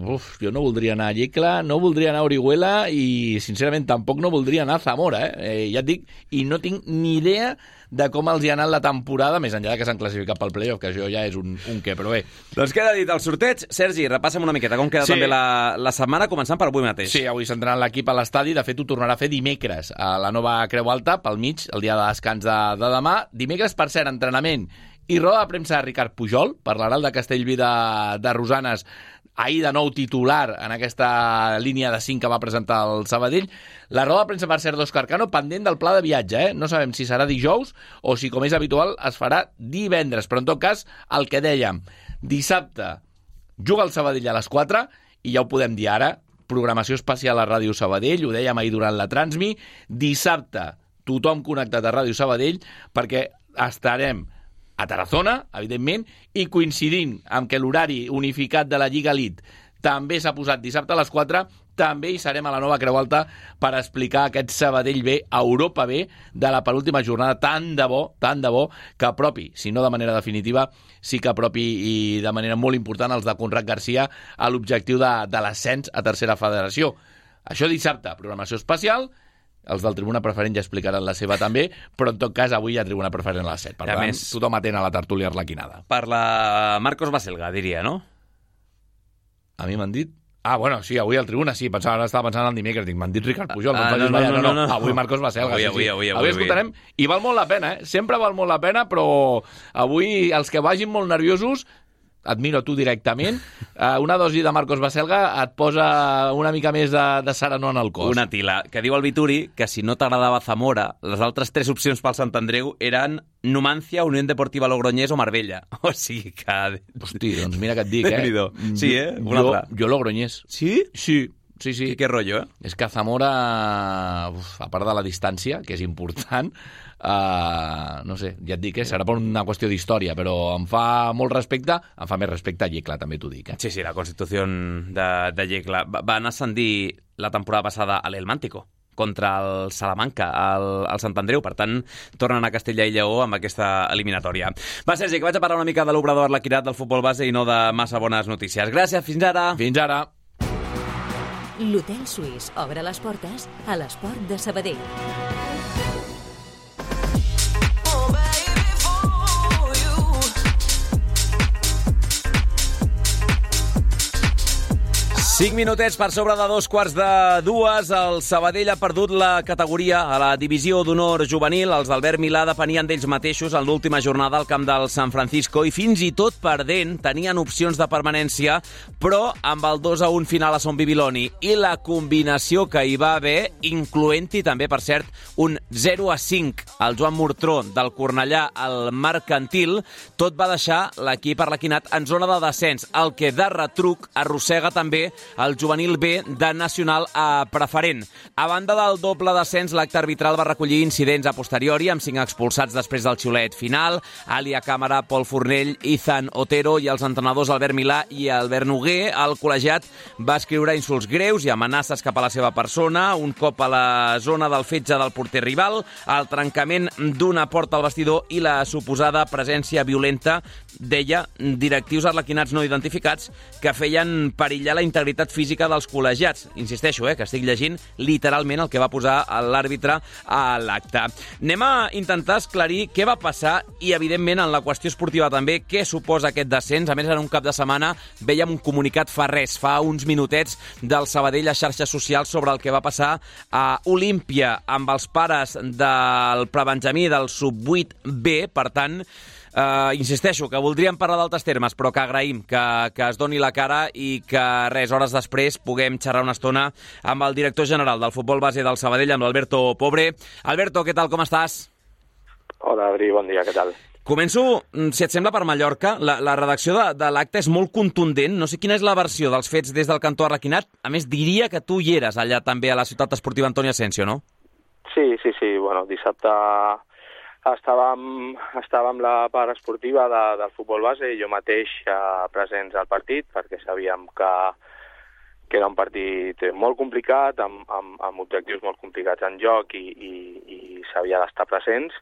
uf, jo no voldria anar a Llecla, no voldria anar a Orihuela i, sincerament, tampoc no voldria anar a Zamora. Eh? Eh, ja et dic, i no tinc ni idea de com els hi ha anat la temporada, més enllà que s'han classificat pel playoff, que això ja és un, un què, però bé. Doncs queda dit el sorteig. Sergi, repassa'm una miqueta com queda sí. també la, la setmana, començant per avui mateix. Sí, avui s'entrarà l'equip a l'estadi, de fet ho tornarà a fer dimecres a la nova Creu Alta, pel mig, el dia de descans de, de demà. Dimecres, per cert, entrenament i roda de premsa de Ricard Pujol, parlarà el de Castellví de, de Rosanes, ahir de nou titular en aquesta línia de cinc que va presentar el Sabadell. La roda de premsa va ser d'Òscar Cano, pendent del pla de viatge, eh? No sabem si serà dijous o si, com és habitual, es farà divendres. Però, en tot cas, el que dèiem, dissabte juga el Sabadell a les quatre i ja ho podem dir ara, programació especial a Ràdio Sabadell, ho dèiem ahir durant la Transmi, dissabte tothom connectat a Ràdio Sabadell perquè estarem a Tarazona, evidentment, i coincidint amb que l'horari unificat de la Lliga Elite també s'ha posat dissabte a les quatre, també hi serem a la nova Creu Alta per explicar aquest Sabadell B, Europa B, de la penúltima jornada. Tant de bo, tant de bo, que apropi, si no de manera definitiva, sí que apropi i de manera molt important els de Conrad Garcia a l'objectiu de, de l'ascens a tercera federació. Això dissabte, programació especial. Els del Tribuna Preferent ja explicaran la seva també, però en tot cas avui hi ha Tribuna Preferent a les set. Per tant, més, tothom atent a la tertúlia arlequinada. Per la Marcos Baselga, diria, no? A mi m'han dit... Ah, bueno, sí, avui al Tribuna sí, pensava, ara estava pensant en el dimecres, dic, m'han dit Ricard Pujol, ah, no, no, no, no, no, no, avui Marcos Baselga, avui, sí, avui, sí. Avui, avui, avui escoltarem, i val molt la pena, eh? Sempre val molt la pena, però avui els que vagin molt nerviosos, admiro tu directament, una dosi de Marcos Baselga et posa una mica més de, de serenor en el cos. Una tila, que diu el Vituri que si no t'agradava Zamora, les altres tres opcions pel Sant Andreu eren Numancia, Unió Deportiva Logroñés o Marbella. O sigui que... Hosti, doncs mira que et dic, eh? Sí, eh? Una jo, altra. Jo Logroñés. Sí? Sí. Sí, sí. Qué, qué rollo, eh? És que Zamora, uf, a part de la distància, que és important, uh, no sé, ja et dic, eh, serà per una qüestió d'història, però em fa molt respecte, em fa més respecte a Yecla, també t'ho dic. Eh? Sí, sí, la Constitució de, de Yecla. Van ascendir la temporada passada a l'Elmántico contra el Salamanca, al, al Sant Andreu. Per tant, tornen a Castella i Lleó amb aquesta eliminatòria. Va, Sergi, que vaig a parlar una mica de l'obrador arlequinat del futbol base i no de massa bones notícies. Gràcies, fins ara. Fins ara. L'Hotel Suís obre les portes a l'esport de Sabadell. Cinc minutets per sobre de dos quarts de dues. El Sabadell ha perdut la categoria a la divisió d'honor juvenil. Els d'Albert Milà depenien d'ells mateixos en l'última jornada al camp del San Francisco i fins i tot perdent tenien opcions de permanència, però amb el dos a un final a Son Bibiloni i la combinació que hi va haver, incloent-hi també, per cert, un zero a cinc al Joan Murtró del Cornellà al Mercantil, tot va deixar l'equip arlequinat en zona de descens, el que de retruc arrossega també el juvenil B de Nacional a preferent. A banda del doble descens, l'acte arbitral va recollir incidents a posteriori, amb cinc expulsats després del xiulet final, Alia Càmera, Pol Fornell, Ethan Otero i els entrenadors Albert Milà i Albert Noguer. El col·legiat va escriure insults greus i amenaces cap a la seva persona, un cop a la zona del fetge del porter rival, el trencament d'una porta al vestidor i la suposada presència violenta, deia, directius arlequinats no identificats que feien perillar la integritat física dels col·legiats. Insisteixo, eh, que estic llegint literalment el que va posar l'àrbitre a l'acte. Anem a intentar esclarir què va passar i, evidentment, en la qüestió esportiva també, què suposa aquest descens. A més, en un cap de setmana veiem un comunicat fa res, fa uns minutets, del Sabadell a xarxes socials sobre el que va passar a Olímpia amb els pares del prebenjamí del sub vuit B. Per tant, Uh, insisteixo, que voldríem parlar d'altres termes, però que agraïm que, que es doni la cara i que, res, hores després puguem xerrar una estona amb el director general del futbol base del Sabadell, amb l'Alberto Pobre. Alberto, què tal, com estàs? Hola, Adri, bon dia, què tal? Començo, si et sembla, per Mallorca. La, la redacció de, de l'acte és molt contundent. No sé quina és la versió dels fets des del cantó arlequinat. A més, diria que tu hi eres allà també a la ciutat esportiva Antonio Asensio, no? Sí, sí, sí. Bueno, dissabte estàvem, estàvem la part esportiva de, del futbol base i jo mateix eh, presents al partit, perquè sabíem que, que era un partit molt complicat, amb, amb, amb objectius molt complicats en joc i, i, i s'havia d'estar presents.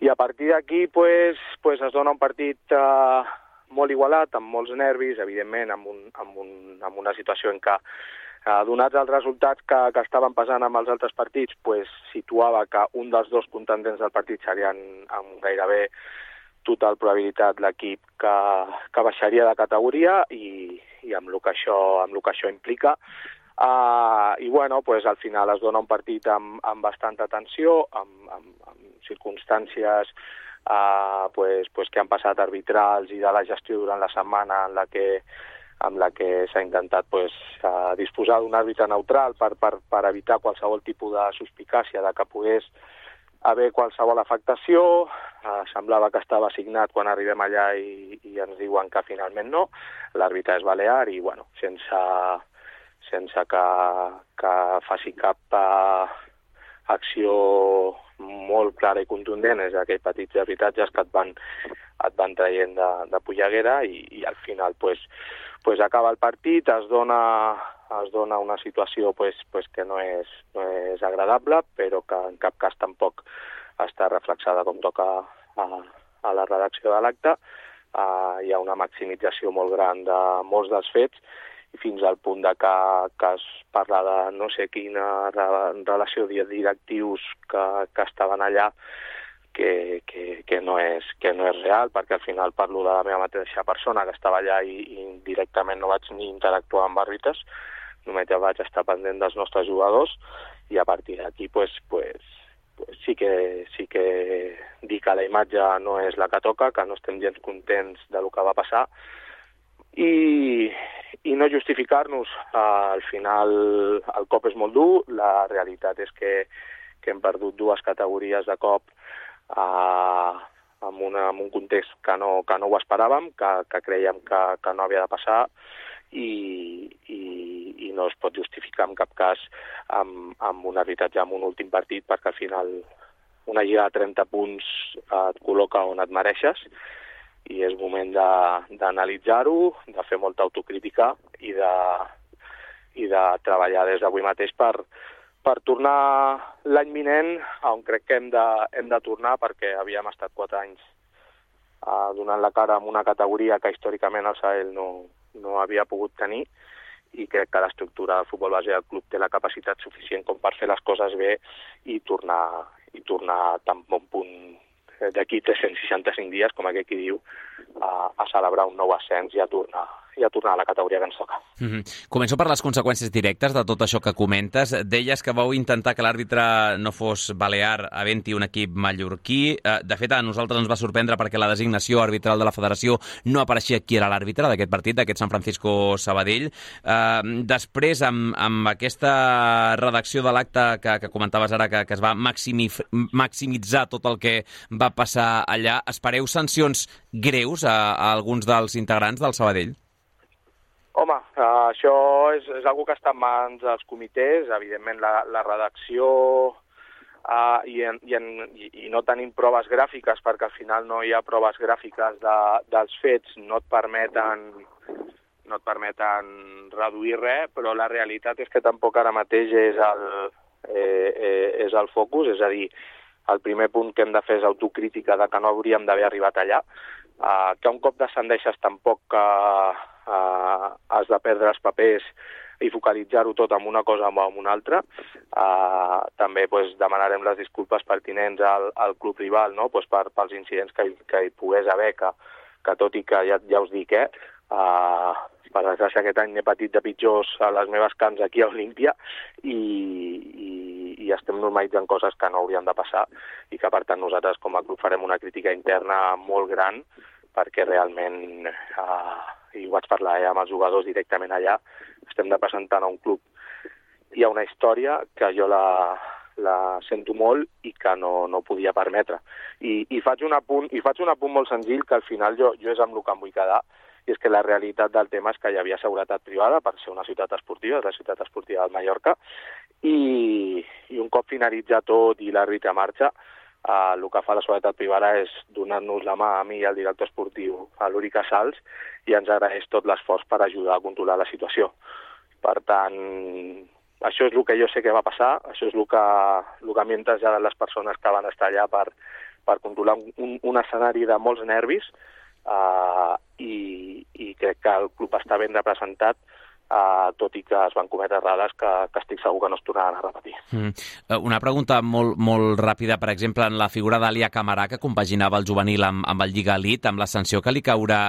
I a partir d'aquí pues, pues es dona un partit eh, molt igualat, amb molts nervis, evidentment, amb, un, amb, un, amb una situació en què, Uh, donats els resultats que, que estaven passant amb els altres partits, pues, situava que un dels dos contendents del partit serien amb gairebé total probabilitat l'equip que, que baixaria de categoria i, i amb el que això, amb el que això implica. Uh, I bueno, pues, al final es dona un partit amb, amb bastanta tensió, amb, amb, amb circumstàncies uh, pues, pues, que han passat arbitrals i de la gestió durant la setmana en la que amb la que s'ha intentat pues, uh, disposar d'un àrbitre neutral per, per, per evitar qualsevol tipus de suspicàcia de que pogués haver qualsevol afectació. Uh, semblava que estava assignat quan arribem allà i, i ens diuen que finalment no. L'àrbitre és balear i bueno, sense, sense que, que faci cap uh, acció molt clara i contundent, és aquells petits arbitratges que et van, et van traient de, de polleguera i, i al final pues, pues acaba el partit, es dona, es dona una situació pues, pues que no és, no és agradable, però que en cap cas tampoc està reflexada com toca a, a la redacció de l'acte. Uh, hi ha una maximització molt gran de molts dels fets i fins al punt de que, que es parla de no sé quina re, relació de directius que, que estaven allà que, que, que, no és, que no és real, perquè al final parlo de la meva mateixa persona que estava allà i, i directament no vaig ni interactuar amb àrbitres, només ja vaig estar pendent dels nostres jugadors i a partir d'aquí pues, pues, pues sí, que, sí que dir que la imatge no és la que toca, que no estem gens contents del que va passar i, i no justificar-nos. Uh, al final el cop és molt dur, la realitat és que, que hem perdut dues categories de cop uh, en, una, en un context que no, que no ho esperàvem, que, que creiem que, que no havia de passar i, i, i no es pot justificar en cap cas amb, amb un arbitratge en un últim partit, perquè al final una lliga de trenta punts et col·loca on et mereixes i és moment d'analitzar-ho, de, de fer molta autocrítica i de, i de treballar des d'avui mateix per, per tornar l'any vinent on crec que hem de, hem de tornar, perquè havíem estat quatre anys uh, donant la cara en una categoria que històricament el Sabadell no, no havia pogut tenir i crec que l'estructura del futbol base del club té la capacitat suficient com per fer les coses bé i tornar, i tornar a tan bon punt d'aquí tres-cents seixanta-cinc dies, com aquell qui diu, a, a celebrar un nou ascens i a tornar, i a tornar a la categoria que ens toca. Mm-hmm. Començo per les conseqüències directes de tot això que comentes. Deies que vau intentar que l'àrbitre no fos balear havent-hi un equip mallorquí. De fet, a nosaltres ens va sorprendre perquè la designació arbitral de la federació no apareixia qui era l'àrbitre d'aquest partit, d'aquest San Francisco-Sabadell. Després, amb, amb aquesta redacció de l'acte que, que comentaves ara, que, que es va maximi, maximitzar tot el que va passar allà, espereu sancions greus a, a alguns dels integrants del Sabadell? Home, uh, això és, és una que està en mans dels comitès. Evidentment, la, la redacció uh, i, en, i, en, i, i no tenim proves gràfiques, perquè al final no hi ha proves gràfiques de, dels fets, no et permeten no et permeten reduir res, però la realitat és que tampoc ara mateix és el, eh, eh, és el focus, és a dir, el primer punt que hem de fer és autocrítica de que no hauríem d'haver arribat allà, uh, que un cop descendeixes tampoc que uh, uh, has de perdre els papers i focalitzar-ho tot en una cosa o en una altra. Uh, també pues, demanarem les disculpes pertinents al, al club rival, no? Pues, per, pels incidents que, que hi pogués haver, que, que tot i que ja, ja us dic, eh, uh, per desgràcia aquest any n'he patit de pitjors a les meves camps aquí a Olímpia i, i, i estem normalitzant coses que no haurien de passar i que per tant nosaltres com a club farem una crítica interna molt gran perquè realment, uh, i ho vaig parlar eh, amb els jugadors directament allà, estem representant a un club i a una història que jo la, la sento molt i que no, no podia permetre. I, i, faig un apunt, I faig un apunt molt senzill que al final jo, jo és amb el que em vull quedar, i és que la realitat del tema és que hi havia seguretat privada per ser una ciutat esportiva, és la ciutat esportiva del Mallorca, i, i un cop finalitza tot i l'àrbitre marxa, eh, el que fa la seguretat privada és donar-nos la mà a mi i al director esportiu, a l'Uri Casals, i ens agraeix tot l'esforç per ajudar a controlar la situació. Per tant, això és el que jo sé que va passar, això és el que, el que m'han traslladat les persones que van estar allà per, per controlar un, un escenari de molts nervis, Uh, i, i crec que el club està ben representat Uh, tot i que es van cometre errades que, que estic segur que no es tornaran a repetir. Mm. Una pregunta molt, molt ràpida, per exemple, en la figura d'Alia Camarà, que compaginava el juvenil amb, amb el Lliga Elite, amb la sanció que li caurà,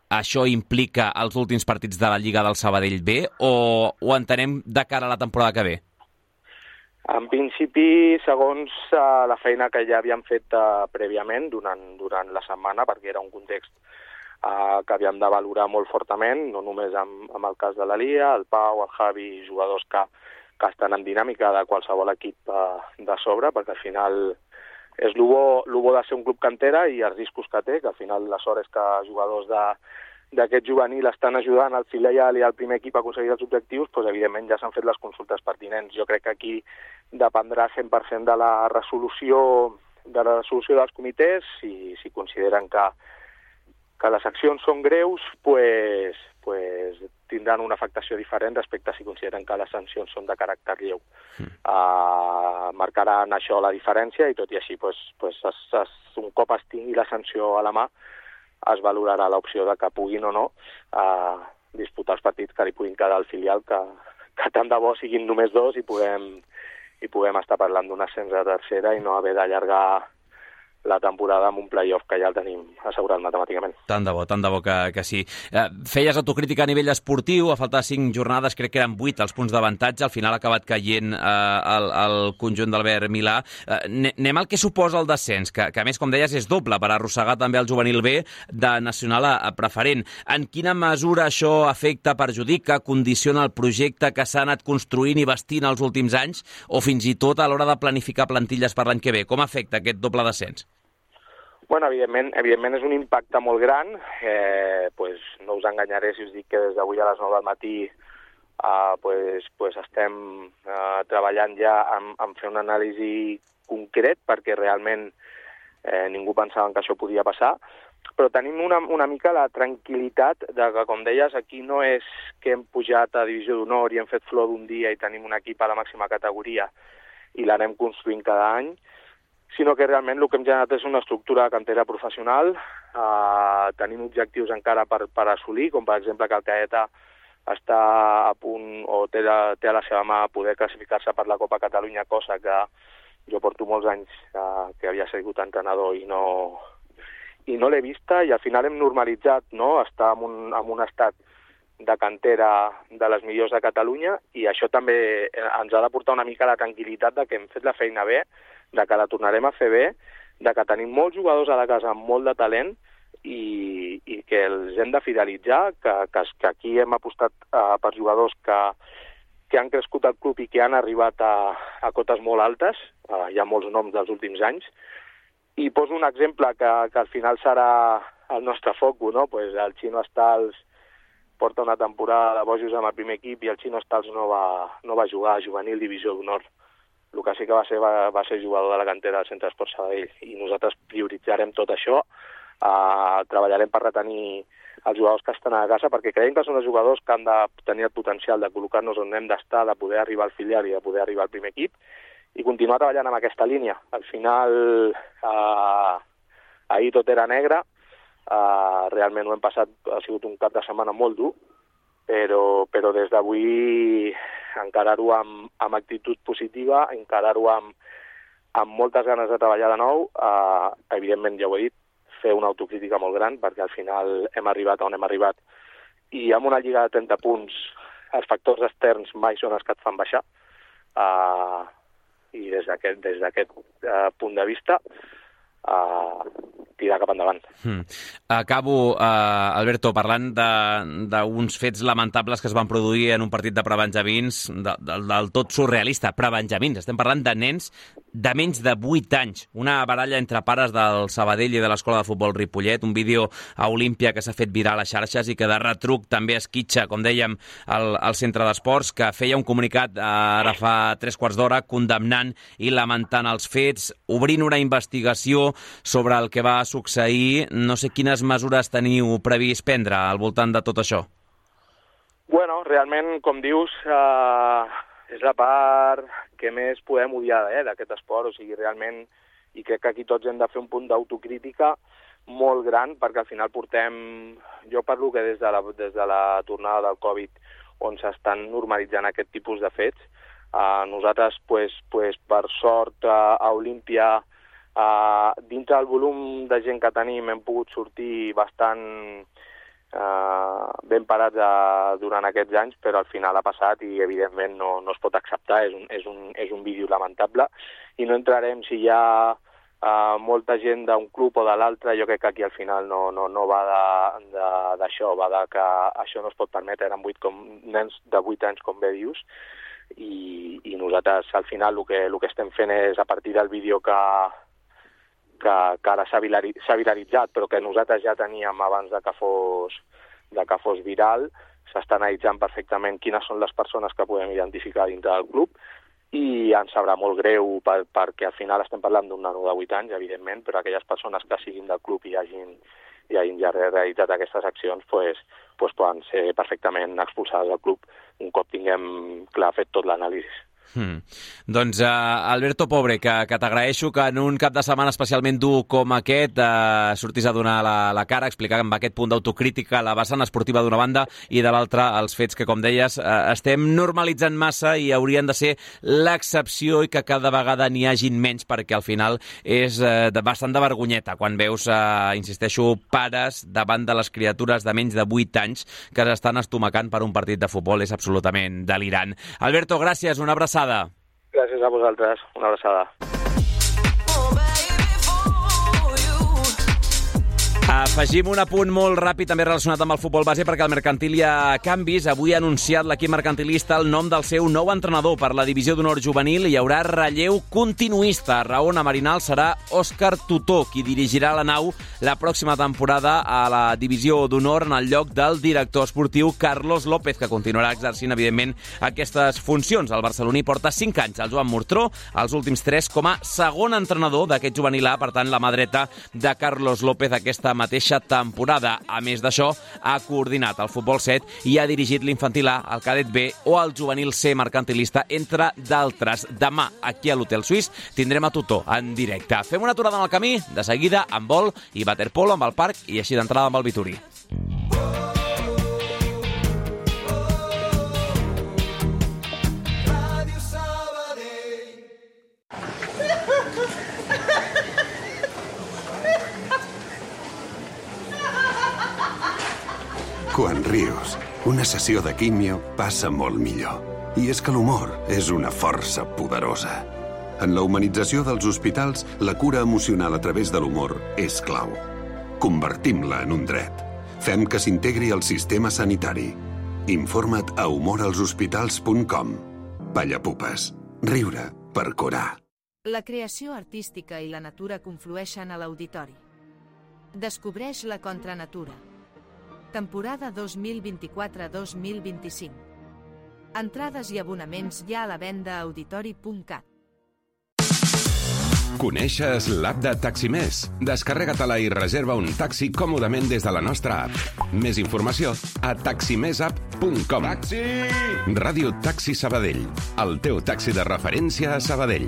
això implica els últims partits de la Lliga del Sabadell B, o ho entenem de cara a la temporada que ve? En principi, segons uh, la feina que ja havíem fet uh, prèviament durant, durant la setmana, perquè era un context Uh, que havíem de valorar molt fortament, no només amb, amb el cas de l'Alia, el Pau, el Javi, jugadors que, que estan en dinàmica de qualsevol equip uh, de sobre, perquè al final és el bo, el bo de ser un club cantera i els riscos que té, que al final la sort és que jugadors d'aquest juvenil estan ajudant al filial i al primer equip a aconseguir els objectius, doncs evidentment ja s'han fet les consultes pertinents. Jo crec que aquí dependrà cent per cent de la resolució, de la resolució dels comitès, i si consideren que que les accions són greus, pues, pues tindran una afectació diferent respecte a si consideren que les sancions són de caràcter lleu. Mm. Uh, marcaran això la diferència i tot i així, pues, pues es, es, un cop es tingui la sanció a la mà, es valorarà l'opció de que puguin o no uh, disputar els partits que li puguin quedar al filial, que, que tant de bo siguin només dos i puguem, i puguem estar parlant d'un ascens a tercera i no haver d'allargar la temporada amb un play-off que ja el tenim assegurat matemàticament. Tant de bo, tant de bo que, que sí. Eh, feies autocrítica a nivell esportiu, a falta de cinc jornades, crec que eren vuit els punts d'avantatge, al final ha acabat caient eh, el, el conjunt d'Albert Milà. Eh, anem al que suposa el descens, que, que a més, com deies, és doble per arrossegar també el juvenil B de nacional a, a preferent. En quina mesura això afecta, perjudica, condiciona el projecte que s'ha anat construint i vestint els últims anys, o fins i tot a l'hora de planificar plantilles per l'any que ve? Com afecta aquest doble descens? Bueno, evidentment, evidentment és un impacte molt gran. Eh, pues no us enganyaré si us dic que des d'avui a les nou del matí eh, pues, pues estem eh, treballant ja en, en fer una anàlisi concret, perquè realment eh, ningú pensava que això podia passar, però tenim una, una mica la tranquil·litat de que, com deies, aquí no és que hem pujat a Divisió d'Honor i hem fet flor d'un dia i tenim un equip a la màxima categoria i l'anem construint cada any, sinó que realment el que hem generat és una estructura de cantera professional. Uh, tenim objectius encara per, per assolir, com per exemple que el Caeta està a punt o té, té a la seva mà poder classificar-se per la Copa Catalunya, cosa que jo porto molts anys uh, que havia sigut entrenador i no, i no l'he vista, i al final hem normalitzat, no?, estar en un, en un estat de cantera de les millors de Catalunya, i això també ens ha de portar una mica la tranquil·litat de que hem fet la feina bé, de que la tornarem a fer bé, de que tenim molts jugadors a la casa amb molt de talent i, i que els hem de fidelitzar, que, que, que aquí hem apostat uh, per jugadors que, que han crescut al club i que han arribat a, a cotes molt altes, uh, hi ha molts noms dels últims anys, i poso un exemple que, que al final serà el nostre foc, no? Pues el Chino Stals porta una temporada de bojos amb el primer equip i el Chino Stals no va, no va jugar a juvenil Divisió d'Honor. El que sí que va ser, va, va ser jugador de la cantera del Centre Esport Sabadell, i nosaltres prioritzarem tot això, eh, treballarem per retenir els jugadors que estan a casa, perquè creiem que són els jugadors que han de tenir el potencial de col·locar-nos on hem d'estar, de poder arribar al filial i de poder arribar al primer equip, i continuar treballant amb aquesta línia. Al final, eh, ahir tot era negre, eh, realment ho hem passat, ha sigut un cap de setmana molt dur, però, però des d'avui encarar-ho amb, amb actitud positiva, encarar-ho amb, amb moltes ganes de treballar de nou, eh, evidentment, ja ho he dit, fer una autocrítica molt gran, perquè al final hem arribat on hem arribat, i amb una lliga de trenta punts els factors externs mai són els que et fan baixar, eh, i des d'aquest des d'aquest eh, punt de vista eh, tirar cap endavant. Hmm. Acabo, uh, Alberto, parlant d'uns fets lamentables que es van produir en un partit de prebenjamins, de, de, del tot surrealista, prebenjamins. Estem parlant de nens de menys de vuit anys. Una baralla entre pares del Sabadell i de l'Escola de Futbol Ripollet, un vídeo a Olímpia que s'ha fet viral a les xarxes i que de retruc també esquitxa, com dèiem, al, al centre d'esports, que feia un comunicat uh, ara fa tres quarts d'hora condemnant i lamentant els fets, obrint una investigació sobre el que va succeir. No sé quines mesures teniu previst prendre al voltant de tot això. Bueno, realment, com dius, eh, és la part que més podem odiar eh, d'aquest esport. O sigui, realment, i crec que aquí tots hem de fer un punt d'autocrítica molt gran, perquè al final portem, jo parlo que des de la, des de la tornada del Covid, on s'estan normalitzant aquest tipus de fets. Uh, nosaltres, pues, pues, per sort, uh, a Olímpia, uh, dintre del volum de gent que tenim, hem pogut sortir bastant uh, ben parats uh, durant aquests anys, però al final ha passat i, evidentment, no, no es pot acceptar. És un, és, un, és un vídeo lamentable i no entrarem si hi ha uh, molta gent d'un club o de l'altre. Jo crec que aquí al final no, no, no va d'això, va de que això no es pot permetre. Eren vuit com, nens de vuit anys, com bé dius, I, i nosaltres al final el que, el que estem fent és, a partir del vídeo que, que, que ara s'ha viralitzat, però que nosaltres ja teníem abans de que fos, de que fos viral, s'està analitzant perfectament quines són les persones que podem identificar dintre del club, i ens sabrà molt greu per, perquè al final estem parlant d'un nano de vuit anys, evidentment, però aquelles persones que siguin del club i hagin, i hagin ja realitzat aquestes accions pues, pues poden ser perfectament expulsades del club un cop tinguem clar fet tot l'anàlisi. Hmm. Doncs uh, Alberto Pobre, que, que t'agraeixo que en un cap de setmana especialment dur com aquest uh, sortis a donar la, la cara, explicar amb aquest punt d'autocrítica la vessant esportiva d'una banda i de l'altra els fets que, com deies, uh, estem normalitzant massa i haurien de ser l'excepció i que cada vegada n'hi hagin menys, perquè al final és uh, de, bastant de vergonyeta quan veus, uh, insisteixo, pares davant de les criatures de menys de vuit anys que s'estan estomacant per un partit de futbol. És absolutament delirant. Alberto, gràcies, una abraçada. Gràcies a vosaltres, una abraçada. Afegim un apunt molt ràpid també relacionat amb el futbol base, perquè el Mercantil hi ha canvis. Avui ha anunciat l'equip mercantilista el nom del seu nou entrenador per la divisió d'honor juvenil. Hi haurà relleu continuista. Raona Marinal serà Òscar Tutó, qui dirigirà la nau la pròxima temporada a la divisió d'honor en el lloc del director esportiu Carlos López, que continuarà exercint, evidentment, aquestes funcions. El barceloní porta cinc anys al Joan Mortró, els últims tres com a segon entrenador d'aquest juvenil A, per tant, la mà dreta de Carlos López aquesta mateixa temporada. A més d'això, ha coordinat el futbol set i ha dirigit l'infantil A, el cadet B o el juvenil C mercantilista, entre d'altres. Demà, aquí a l'Hotel Suís, tindrem a Tutó en directe. Fem una aturada en el camí, de seguida amb vol i waterpolo amb el parc i així d'entrada amb el Vitorí. Quan rius, una sessió de químio passa molt millor. I és que l'humor és una força poderosa. En la humanització dels hospitals, la cura emocional a través de l'humor és clau. Convertim-la en un dret. Fem que s'integri al sistema sanitari. Informa't a humor als hospitals punt com. Pallapupes. Riure per curar. La creació artística i la natura conflueixen a l'auditori. Descobreix la contranatura. Temporada dos mil vint-i-quatre dos mil vint-i-cinc. Entrades i abonaments ja a la venda a auditori punt cat. Coneixes l'app de Taximés? Descarrega-te-la i reserva un taxi còmodament des de la nostra app. Més informació a taximesapp punt com. Taxi! Ràdio Taxi Sabadell, el teu taxi de referència a Sabadell.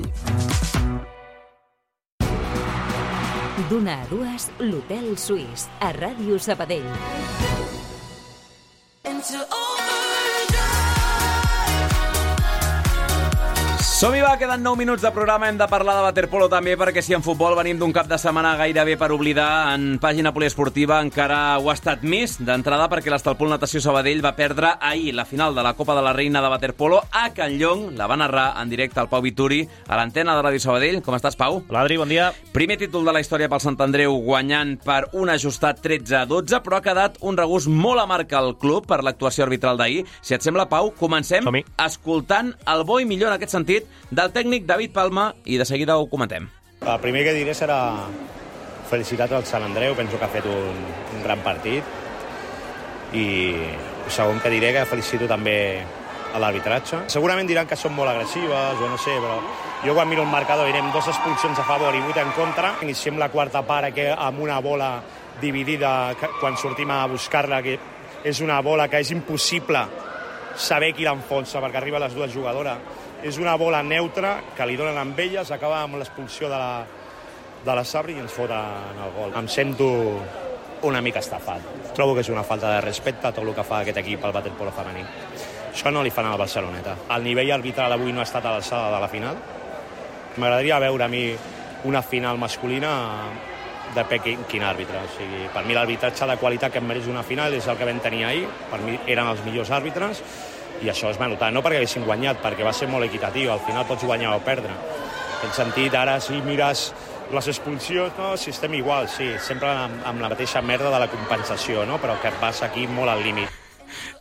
D'una a dues, l'Hotel Suís, a Ràdio Sabadell. Som-hi, va, queden nou minuts de programa. Hem de parlar de waterpolo també, perquè si en futbol venim d'un cap de setmana gairebé per oblidar, en pàgina poliesportiva encara ho ha estat més. D'entrada perquè l'Estalpol Natació Sabadell va perdre ahir la final de la Copa de la Reina de waterpolo a Can Llong. La va narrar en directe al Pau Vituri a l'antena de Ràdio Sabadell. Com estàs, Pau? Hola, Adri, bon dia. Primer títol de la història pel Sant Andreu, guanyant per un ajustat tretze a dotze, però ha quedat un regust molt amarg al club per l'actuació arbitral d'ahir. Si et sembla, Pau, comencem escoltant el bo i millor en aquest sentit del tècnic David Palma i de seguida ho comentem. El primer que diré serà felicitat al Sant Andreu, penso que ha fet un, un gran partit, i el segon que diré que felicito també a l'arbitratge. Segurament diran que són molt agressives, jo no sé, però jo quan miro el marcador direm dos expulsions a favor i vuit en contra. Iniciem la quarta part que amb una bola dividida quan sortim a buscar-la, que és una bola que és impossible saber qui l'enfonsa perquè arriba a les dues jugadores. És una bola neutra que li donen amb elles, acaba amb l'expulsió de la, de la Sabri i ens foten el gol. Em sento una mica estafat. Trobo que és una falta de respecte a tot el que fa aquest equip al waterpolo femení. Això no li fan al Barceloneta. El nivell arbitral avui no ha estat a l'alçada de la final. M'agradaria veure a mi una final masculina de quin, quin àrbitre. O sigui, per mi l'arbitratge de qualitat que em mereix una final és el que vam tenir ahir. Per mi eren els millors àrbitres i això es va notar. No perquè haguessin guanyat, perquè va ser molt equitatiu. Al final pots guanyar o perdre. En aquest sentit, ara si mires les expulsions, no, si estem igual, sí, sempre amb, amb la mateixa merda de la compensació, no? Però que passa aquí molt al límit.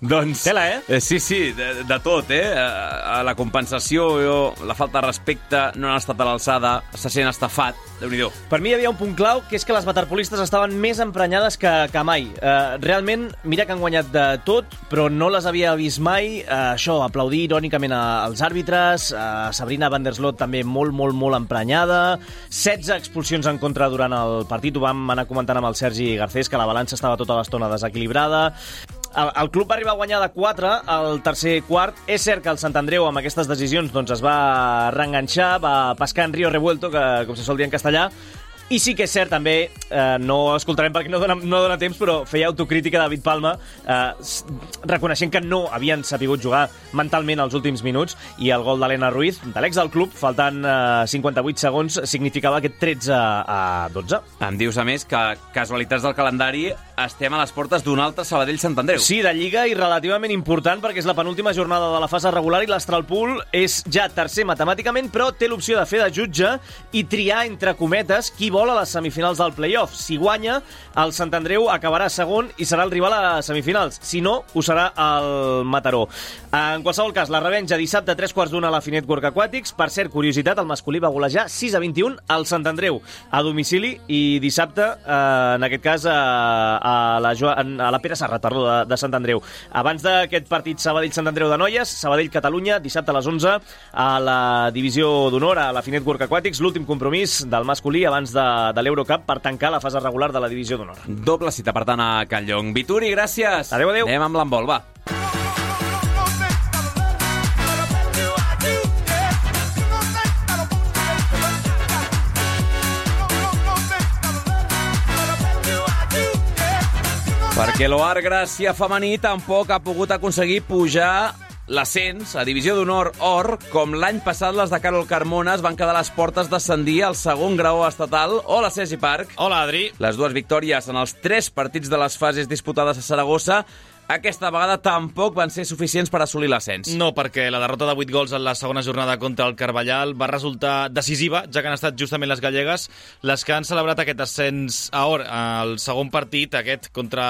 Doncs... Tela, eh? eh? Sí, sí, de, de tot, eh? A la compensació, jo, la falta de respecte, no han estat a l'alçada, se sent estafat, Déu-n'hi-do. Per mi hi havia un punt clau, que és que les waterpolistes estaven més emprenyades que, que mai. Uh, realment, mira que han guanyat de tot, però no les havia vist mai. Uh, això, aplaudir irònicament als àrbitres, uh, Sabrina van der Sloot també molt, molt, molt emprenyada, setze expulsions en contra durant el partit, ho vam anar comentant amb el Sergi Garcés, que la balança estava tota l'estona desequilibrada. El, el club va arribar a guanyar de quatre al tercer quart. És cert que el Sant Andreu amb aquestes decisions doncs, es va reenganxar, va pescar en Río Revuelto, que com se sol dir en castellà, i sí que és cert també, eh, no escoltarem perquè no dona, no dona temps, però feia autocrítica David Palma, eh, reconeixent que no havien sapigut jugar mentalment els últims minuts, i el gol d'Helena Ruiz, de l'ex del club, faltant eh, cinquanta-vuit segons, significava aquest tretze a dotze. Em dius, a més, que casualitats del calendari, estem a les portes d'un altre Sabadell-Sant Andreu. Sí, de Lliga, i relativament important, perquè és la penúltima jornada de la fase regular i l'Astralpool és ja tercer matemàticament, però té l'opció de fer de jutge i triar, entre cometes, qui vol a les semifinals del play-off. Si guanya, el Sant Andreu acabarà segon i serà el rival a semifinals. Si no, ho serà el Mataró. En qualsevol cas, la revenja dissabte a tres quarts d'una a la Finet Work Aquàtics. Per cert, curiositat, el masculí va golejar sis a vint-i-un al Sant Andreu a domicili, i dissabte, eh, en aquest cas, a, a, la, a la Pere Serrat, perdó, de, de Sant Andreu. Abans d'aquest partit Sabadell-Sant Andreu de noies, Sabadell-Catalunya, dissabte a les onze, a la divisió d'honor a la Finet Work Aquàtics, l'últim compromís del masculí abans de de l'Eurocup per tancar la fase regular de la divisió d'honor. Doble cita, per tant, a Can Llong. Vituri, gràcies. Adéu, adéu. Anem amb l'handbol, va. Perquè l'Oar Gràcia femení tampoc ha pogut aconseguir pujar l'ascens a Divisió d'Honor Or, com l'any passat les de Carol Carmona es van quedar a les portes d'ascendir al segon grau estatal. Hola, Sergi Parc. Hola, Adri. Les dues victòries en els tres partits de les fases disputades a Saragossa aquesta vegada tampoc van ser suficients per assolir l'ascens. No, perquè la derrota de vuit gols en la segona jornada contra el Carballal va resultar decisiva, ja que han estat justament les gallegues les que han celebrat aquest ascens a Or. El segon partit, aquest contra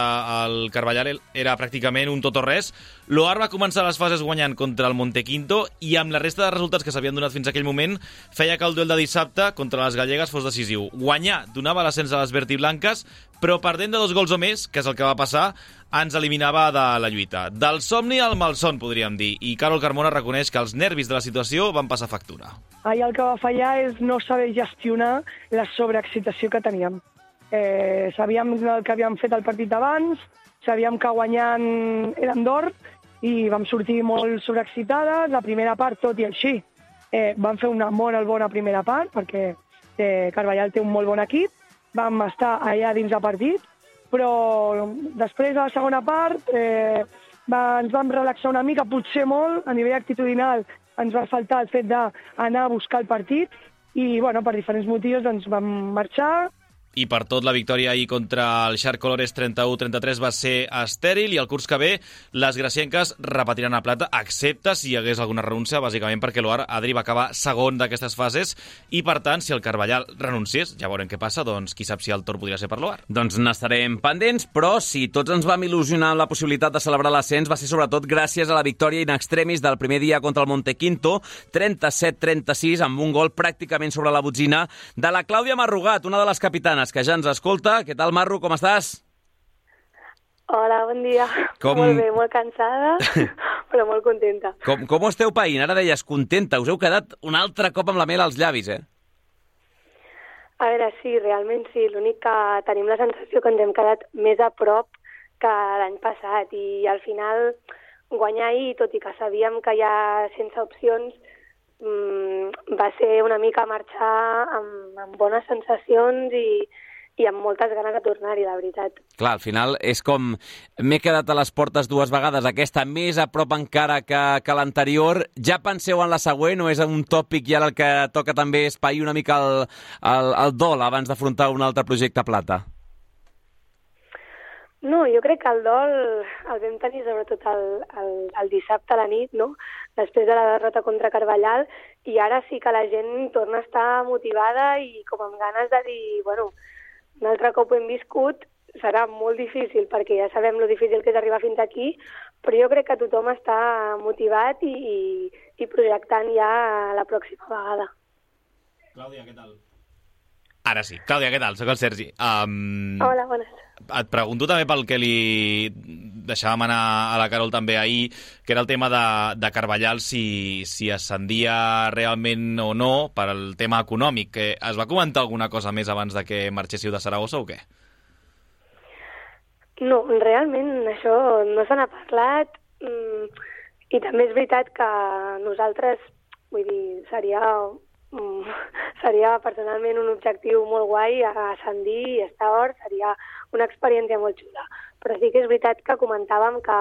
el Carballal, era pràcticament un tot o res. L'Oar va començar les fases guanyant contra el Montequinto i amb la resta de resultats que s'havien donat fins a aquell moment feia que el duel de dissabte contra les gallegues fos decisiu. Guanyar donava l'ascens a les vertiblanques, però perdent de dos gols o més, que és el que va passar, ens eliminava de la lluita. Del somni al malson, podríem dir, i Carol Carmona reconeix que els nervis de la situació van passar factura. Ahir el que va fallar és no saber gestionar la sobreexcitació que teníem. Eh, sabíem el que havíem fet el partit abans, sabíem que guanyant eren d'or, i vam sortir molt sobreexcitades. La primera part, tot i així, eh, vam fer una molt bona primera part, perquè eh, Carballal té un molt bon equip, vam estar allà dins del partit, però després de la segona part eh, va, ens vam relaxar una mica, potser molt, a nivell actitudinal ens va faltar el fet d'anar a buscar el partit i bueno, per diferents motius doncs, vam marxar. I per tot, la victòria ahir contra el Shark Colores trenta-u a trenta-tres va ser estèril, i el curs que ve les gracienques repetiran a plata, excepte si hi hagués alguna renúncia, bàsicament perquè l'Oar, Adri, va acabar segon d'aquestes fases, i per tant, si el Carballal renunciés, ja veurem què passa, doncs qui sap si el torn podria ser per l'Oar. Doncs n'estarem pendents, però si tots ens vam il·lusionar amb la possibilitat de celebrar l'ascens, va ser sobretot gràcies a la victòria in extremis del primer dia contra el Montequinto, trenta-set a trenta-sis, amb un gol pràcticament sobre la botzina de la Clàudia Marrugat, una de les capitanes que ja ens escolta. Què tal, Marru, com estàs? Hola, bon dia. Com... Molt bé, molt cansada, però molt contenta. Com, com ho esteu païnt? Ara deies contenta. Us heu quedat un altre cop amb la mel als llavis, eh? A veure, sí, realment sí. L'únic que tenim la sensació que ens hem quedat més a prop que l'any passat, i al final guanyar ahir, tot i que sabíem que ja sense opcions, mmm, va ser una mica marxar amb, amb bones sensacions i, i amb moltes ganes de tornar-hi, la veritat. Clar, al final és com m'he quedat a les portes dues vegades, aquesta més a prop encara que, que l'anterior. Ja penseu en la següent o és un tòpic i ara el que toca també és pair una mica el, el, el dol abans d'afrontar un altre projecte plata? No, jo crec que el dol el vam tenir sobretot el, el, el dissabte a la nit, no? Després de la derrota contra Carballal, i ara sí que la gent torna a estar motivada i com amb ganes de dir, bueno, un altre cop ho hem viscut, serà molt difícil perquè ja sabem lo difícil que és arribar fins aquí, però jo crec que tothom està motivat i, i, i projectant ja la pròxima vegada. Clàudia, què tal? Ara sí. Clàudia, què tal? Soc el Sergi. Um... Hola, bones. Et pregunto també pel que li deixàvem anar a la Carol també ahir, que era el tema de, de Carballal, si, si ascendia realment o no per al tema econòmic. Que es va comentar alguna cosa més abans de que marxéssiu de Saragossa o què? No, realment això no se n'ha parlat, i també és veritat que nosaltres, vull dir, seria... seria personalment un objectiu molt guai ascendir i estar a Hort, seria una experiència molt xula. Però sí que és veritat que comentàvem que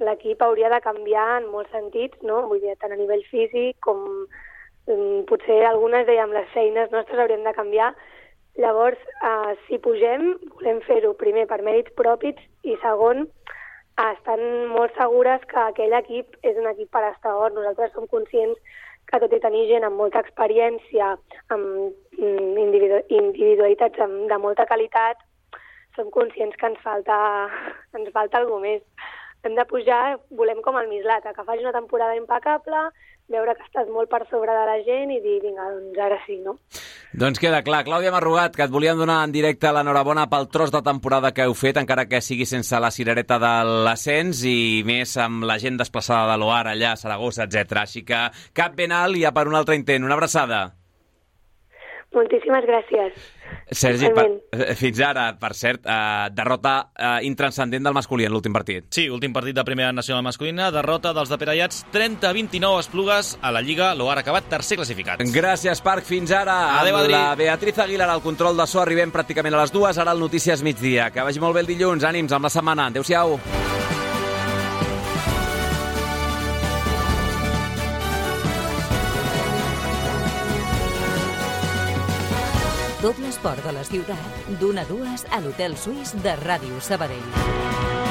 l'equip hauria de canviar en molts sentits, no? Vull dir, tant a nivell físic com potser algunes dèiem les feines nostres haurien de canviar. Llavors, eh, si pugem, volem fer-ho primer per mèrits propis i segon, estan molt segures que aquell equip és un equip per estar a Hort. Nosaltres som conscients que tot i tenir gent amb molta experiència, amb individu individualitats de molta qualitat, som conscients que ens falta, ens falta alguna més. Hem de pujar, volem com el Mislata, que faci una temporada impecable, veure que estàs molt per sobre de la gent i dir, vinga, doncs ara sí, no? Doncs queda clar. Clàudia Marrugat, que et volíem donar en directe l'enhorabona pel tros de temporada que heu fet, encara que sigui sense la cirereta de l'ascens i més amb la gent desplaçada de l'Oar allà, a Saragossa, etcètera. Així que cap ben alt i a per un altre intent. Una abraçada. Moltíssimes gràcies. Sergi, per, fins ara, per cert, eh, derrota eh, intranscendent del masculí en l'últim partit. Sí, últim partit de primera nacional masculina, derrota dels de Perellats, trenta a vint-i-nou Esplugues a la Lliga, l'Oar ha acabat tercer classificat. Gràcies, Parc, fins ara. Adéu, amb la Beatriz Aguilar al control de so, arribem pràcticament a les dues, ara el Notícies migdia. Que vagi molt bé el dilluns, ànims amb la setmana. Adéu-siau. Tot l'esport de la ciutat, d'una a dues a l'Hotel Suís de Ràdio Sabadell.